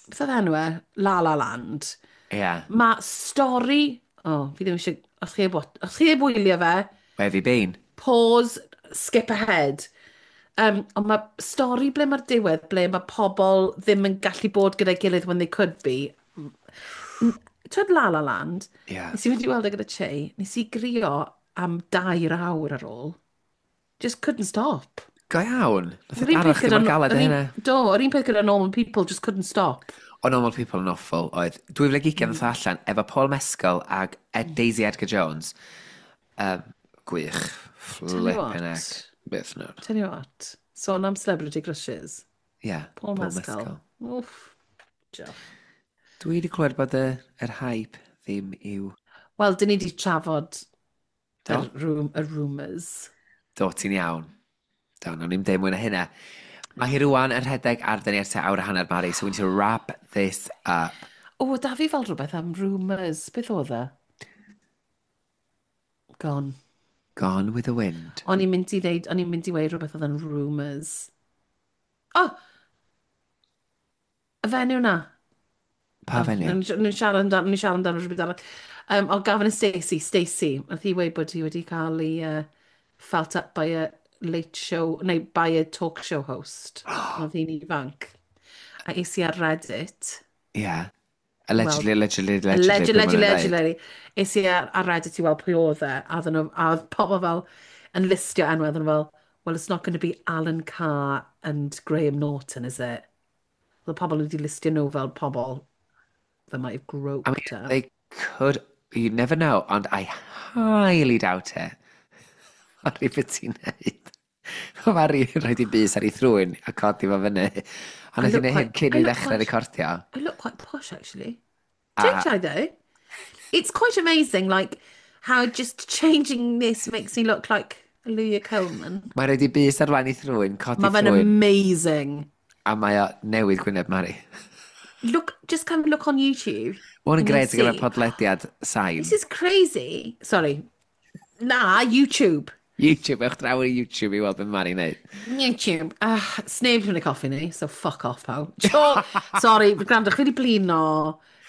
beth oedd enw e? La La Land. Ie. Yeah. Mae stori, oh, fi ddim eisiau, os chi heb, wat- os chi heb wylio fe, Where have you been? Pause, skip ahead. Um, ond mae stori ble mae'r diwedd, ble mae pobl ddim yn gallu bod gyda'i gilydd when they could be. Twyd La La Land, Ie. Yeah. nes i fynd i weld e gyda Che, nes i grio am dair awr ar ôl. Just couldn't stop. Go iawn. Nath Yr e un daro peth chdi gyda... mor galed yr â un- hynna. Do, yr un peth gyda Normal People, just couldn't stop. O Normal People yn awful oedd dwy fil ac ugain Mm. ddoth allan efo Paul Mescal ag Ed Daisy Edgar Jones. Um, gwych. Tell you Flippin' heck. what. Beth nawr. Tell you what. Sôn am celebrity crushes. Yeah, Paul, Paul Mescal. Mescal. Wff. Diolch. Dwi wedi clywed bod y, yr hype ddim i'w. Wel, dyn ni wedi trafod Do? y, rum, y rumours. Do, ti'n iawn. Do, nawn ni'm deud mwy na hynna. Mae hi rwan yn rhedeg ar dyn ni ers tua awr a hanner, Mari, so we need to wrap this up. O, da fi fel rhywbeth am rumours. Beth oedd e? Gone. Gone with the wind. O'n i'n mynd i ddeud, o'n i'n mynd i weud rhywbeth oedd yn rumours. O! Y fenyw na. Pa Oh, fenyw? Ni'n siarad amdano, ni'n siarad amdano rhywbeth arall. Um, o, Gavin a Stacey, Stacey. Nath hi weud bod hi wedi cael ei uh, felt up by a late show, neu by a talk show host pan oedd hi'n ifanc. A es i ar Reddit. Yeah. Allegedly, allegedly, allegedly. Allegedly, be ma' nhw'n allegedly, ddeud. allegedly. Es i ar, ar Reddit i weld pwy oedd e, a oedden nhw, a oedd pobl fel yn listio enwau, oedden nhw fel, "Well, it's not going to be Alan Carr and Graham Norton, is it?" Oedd pobl wedi listio nhw fel pobl that might have I groped mean, her. they could, you never know, ond I highly doubt it. Mari, beth ti'n neud? Mari yn rhoi di bys ar ei thrwyn a codi fo fyny. A nath i neud hyn cyn i ddechrau recordio. I look quite posh, actually. Don't I, though? It's quite amazing, like, how just changing this makes me look like Leah Coleman. Mae'n rhoi di bys ar flaen ei thrwyn, codi Mae fe'n thrwyn. amazing. A mae o newid gwyneb Mari. Look, just come look on YouTube. Mae hwn yn and you'll gret ar gyfer see. podlediad sain. This is crazy. Sorry. Na, YouTube. YouTube, ewch draw i YouTube i weld beth Mari'n neud. YouTube. Uh, sneb yn y coffi ni, so fuck off, pawb. Jo, sorry, gwrando, chi wedi blino.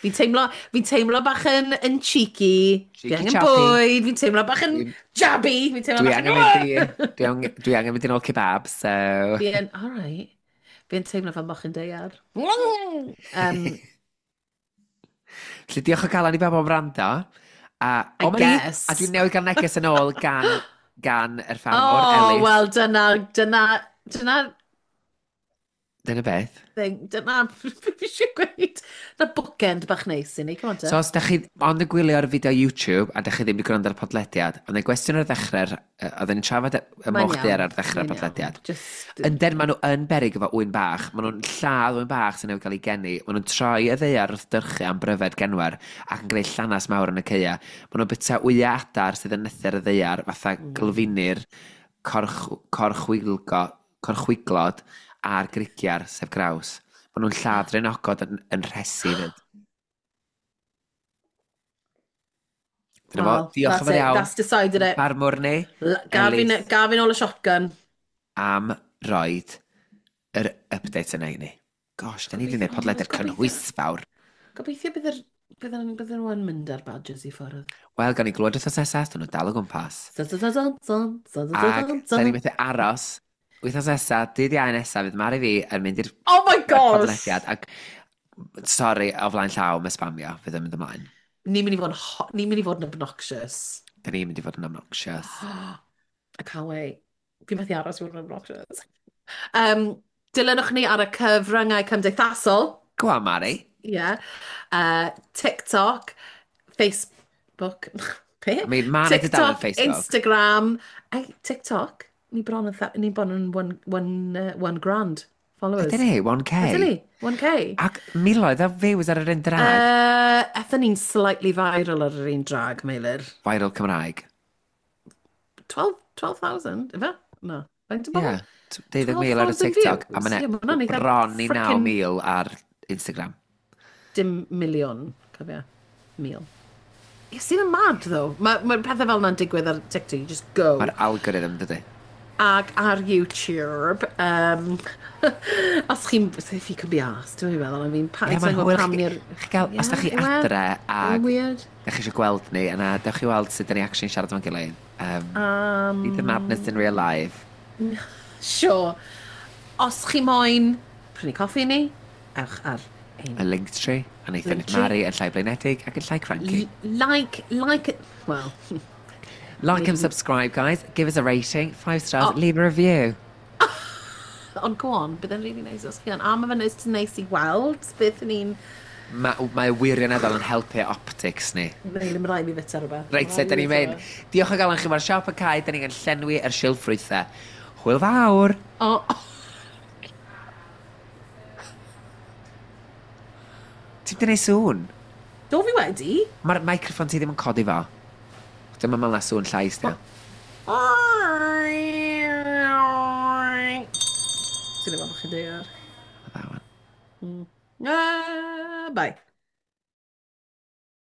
Fi'n teimlo, fi'n teimlo bach yn, yn cheeky. Fi Cheeky angen chappy. Bwyd, fi'n teimlo bach yn jabby. Fi'n teimlo Dwi bach angen yn mynd i... Dwi angen, dwi angen mynd i nôl kebab, so. Fi yn, all right. Fi'n teimlo fel mochyn daear. Um, Felly diolch o galon i bawb am wrando. A, I o, ma' ni- guess. A dwi'n newydd gael neges yn ôl gan, gan yr ffarmwr, Oh, Ellis. wel, dyna, dyna, dyna Dyna beth. Thing, dyna, fi eisiau gweud, na bookend bach neis i ni, come on te. So os da chi ond yn gwylio ar y fideo YouTube a da chi ddim wedi gwrando ar y podlediad, ond y gwestiwn ar ddechrau'r, yy, oedden ni'n trafod y y Mae'n moch iawn, daear ar ddechrau'r mae'n iawn. podlediad. Just, Yndyn, maen nhw yn beryg efo ŵyn bach. Maen nhw'n lladd ŵyn bach sy'n newydd cael ei geni. Maen nhw'n troi y ddaear wrth dyrchu am bryfed genwer ac yn gwneud llanas mawr yn y caea. Maen nhw'n byta wyau adar sydd yn nythu ar y ddaear fatha mm. gylfinir, corch, corchwilgo, corchwiglod a'r grugiar, sef graws. Maen nhw'n lladd draenogod yn, yn rhesi fyd. Dyna fo, Well, diolch yn that's fawr it, iawn. that's decided it. Farmwr ni, L- Gafin, Ellis. Gafin ôl y shotgun. Am roid yr update yna i ni. Gosh, da ni wedi gwneud Gobeithio- podlediad gobeithio- cynhwysfawr. Gobeithio bydd yr, bydd yn, bydd nhw yn mynd ar badgers i ffwrdd. Wel, gawn ni glywed wythnos nesaf, dyn nhw dal o gwmpas. Dun, dun, dun, dun, dun, dun, Ac dun, da ni dun. methu aros. Wythnos nesaf, dydd Iau nesaf, fydd Mari fi yn mynd i'r Oh my gosh! podlediad. Ac, sorry, o flaen llaw, mae spamio, fydd yn mynd ymlaen. Ni'n mynd i fod yn, ho- ni'n mynd i fod yn obnoxious. Da ni'n mynd i fod yn obnoxious. I can't wait. Fi'n methu aros i fod yn obnoxious. Um, dilynwch ni ar y cyfryngau cymdeithasol. Go on, Mari. Yeah. Uh, TikTok, Facebook. Be? I mean, ma' 'na dudalen TikTok, Facebook. Instagram. Hey, TikTok. Ni bron yn, tha- ni bron yn one, one, uh, one grand. Followers. Ydyn ni, one K. Ydyn ni, one K. Ac miloedd o views ar yr un drag. Uh, Ethon ni'n slightly viral ar yr un drag, Meilir. Viral Cymraeg. twelve twelve thousand, ife? No. Faint o Ie. bobl? Yeah. Deuddeg mil ar y twelve thousand TikTok. A views. mae'n Ie, ma' hwnna'n eitha bron i frickin' naw mil ar Instagram. Dim miliwn, cofia. Mil. Ie, sydd yn mad, though. Mae ma pethau fel yna'n digwydd ar TikTok, you just go. Mae'r algorithm, dydy. Ac ar YouTube, um, os chi'n, if you could be asked, dwi'n meddwl, I mean, pa, Ie, mae'n hwyl. pam Chi, ni'r chi gael, os da chi Ie, yw e? adre Mae'n ag weird. da chi eisiau gweld ni, yna dewch chi weld sut da ni actually siarad efo'n gilydd. Um, Um, Need the madness in real life. Sure. Os chi moyn prynu coffi ni, ewch ar ein Y Linktree, a wnaethon Linktree. Mari yn llai blinedig ac yn llai cranky. L- Like, like, well, Like and subscribe, guys. Give us a rating, five stars, Oh. leave a review. Ond go on, bydd e'n really nice os chi yn. A mae fe'n nice, nice i weld beth ni'n. Mae mae wirioneddol yn helpu optics ni. Neu, ddim rhaid mi fita rhywbeth. Reit, se, da ni'n mynd. Diolch o galon chi, mae'r siop yn cau, da ni'n llenwi yr silff ffrwythau. Hwyl fawr! O, oh, Ti'n mynd i sŵn? Do fi wedi? Mae'r microffon ti ddim yn codi fo. Dyma mewn na sŵn llais, di. Ti'n efo bod chi'n deall. That one. Ah, bye.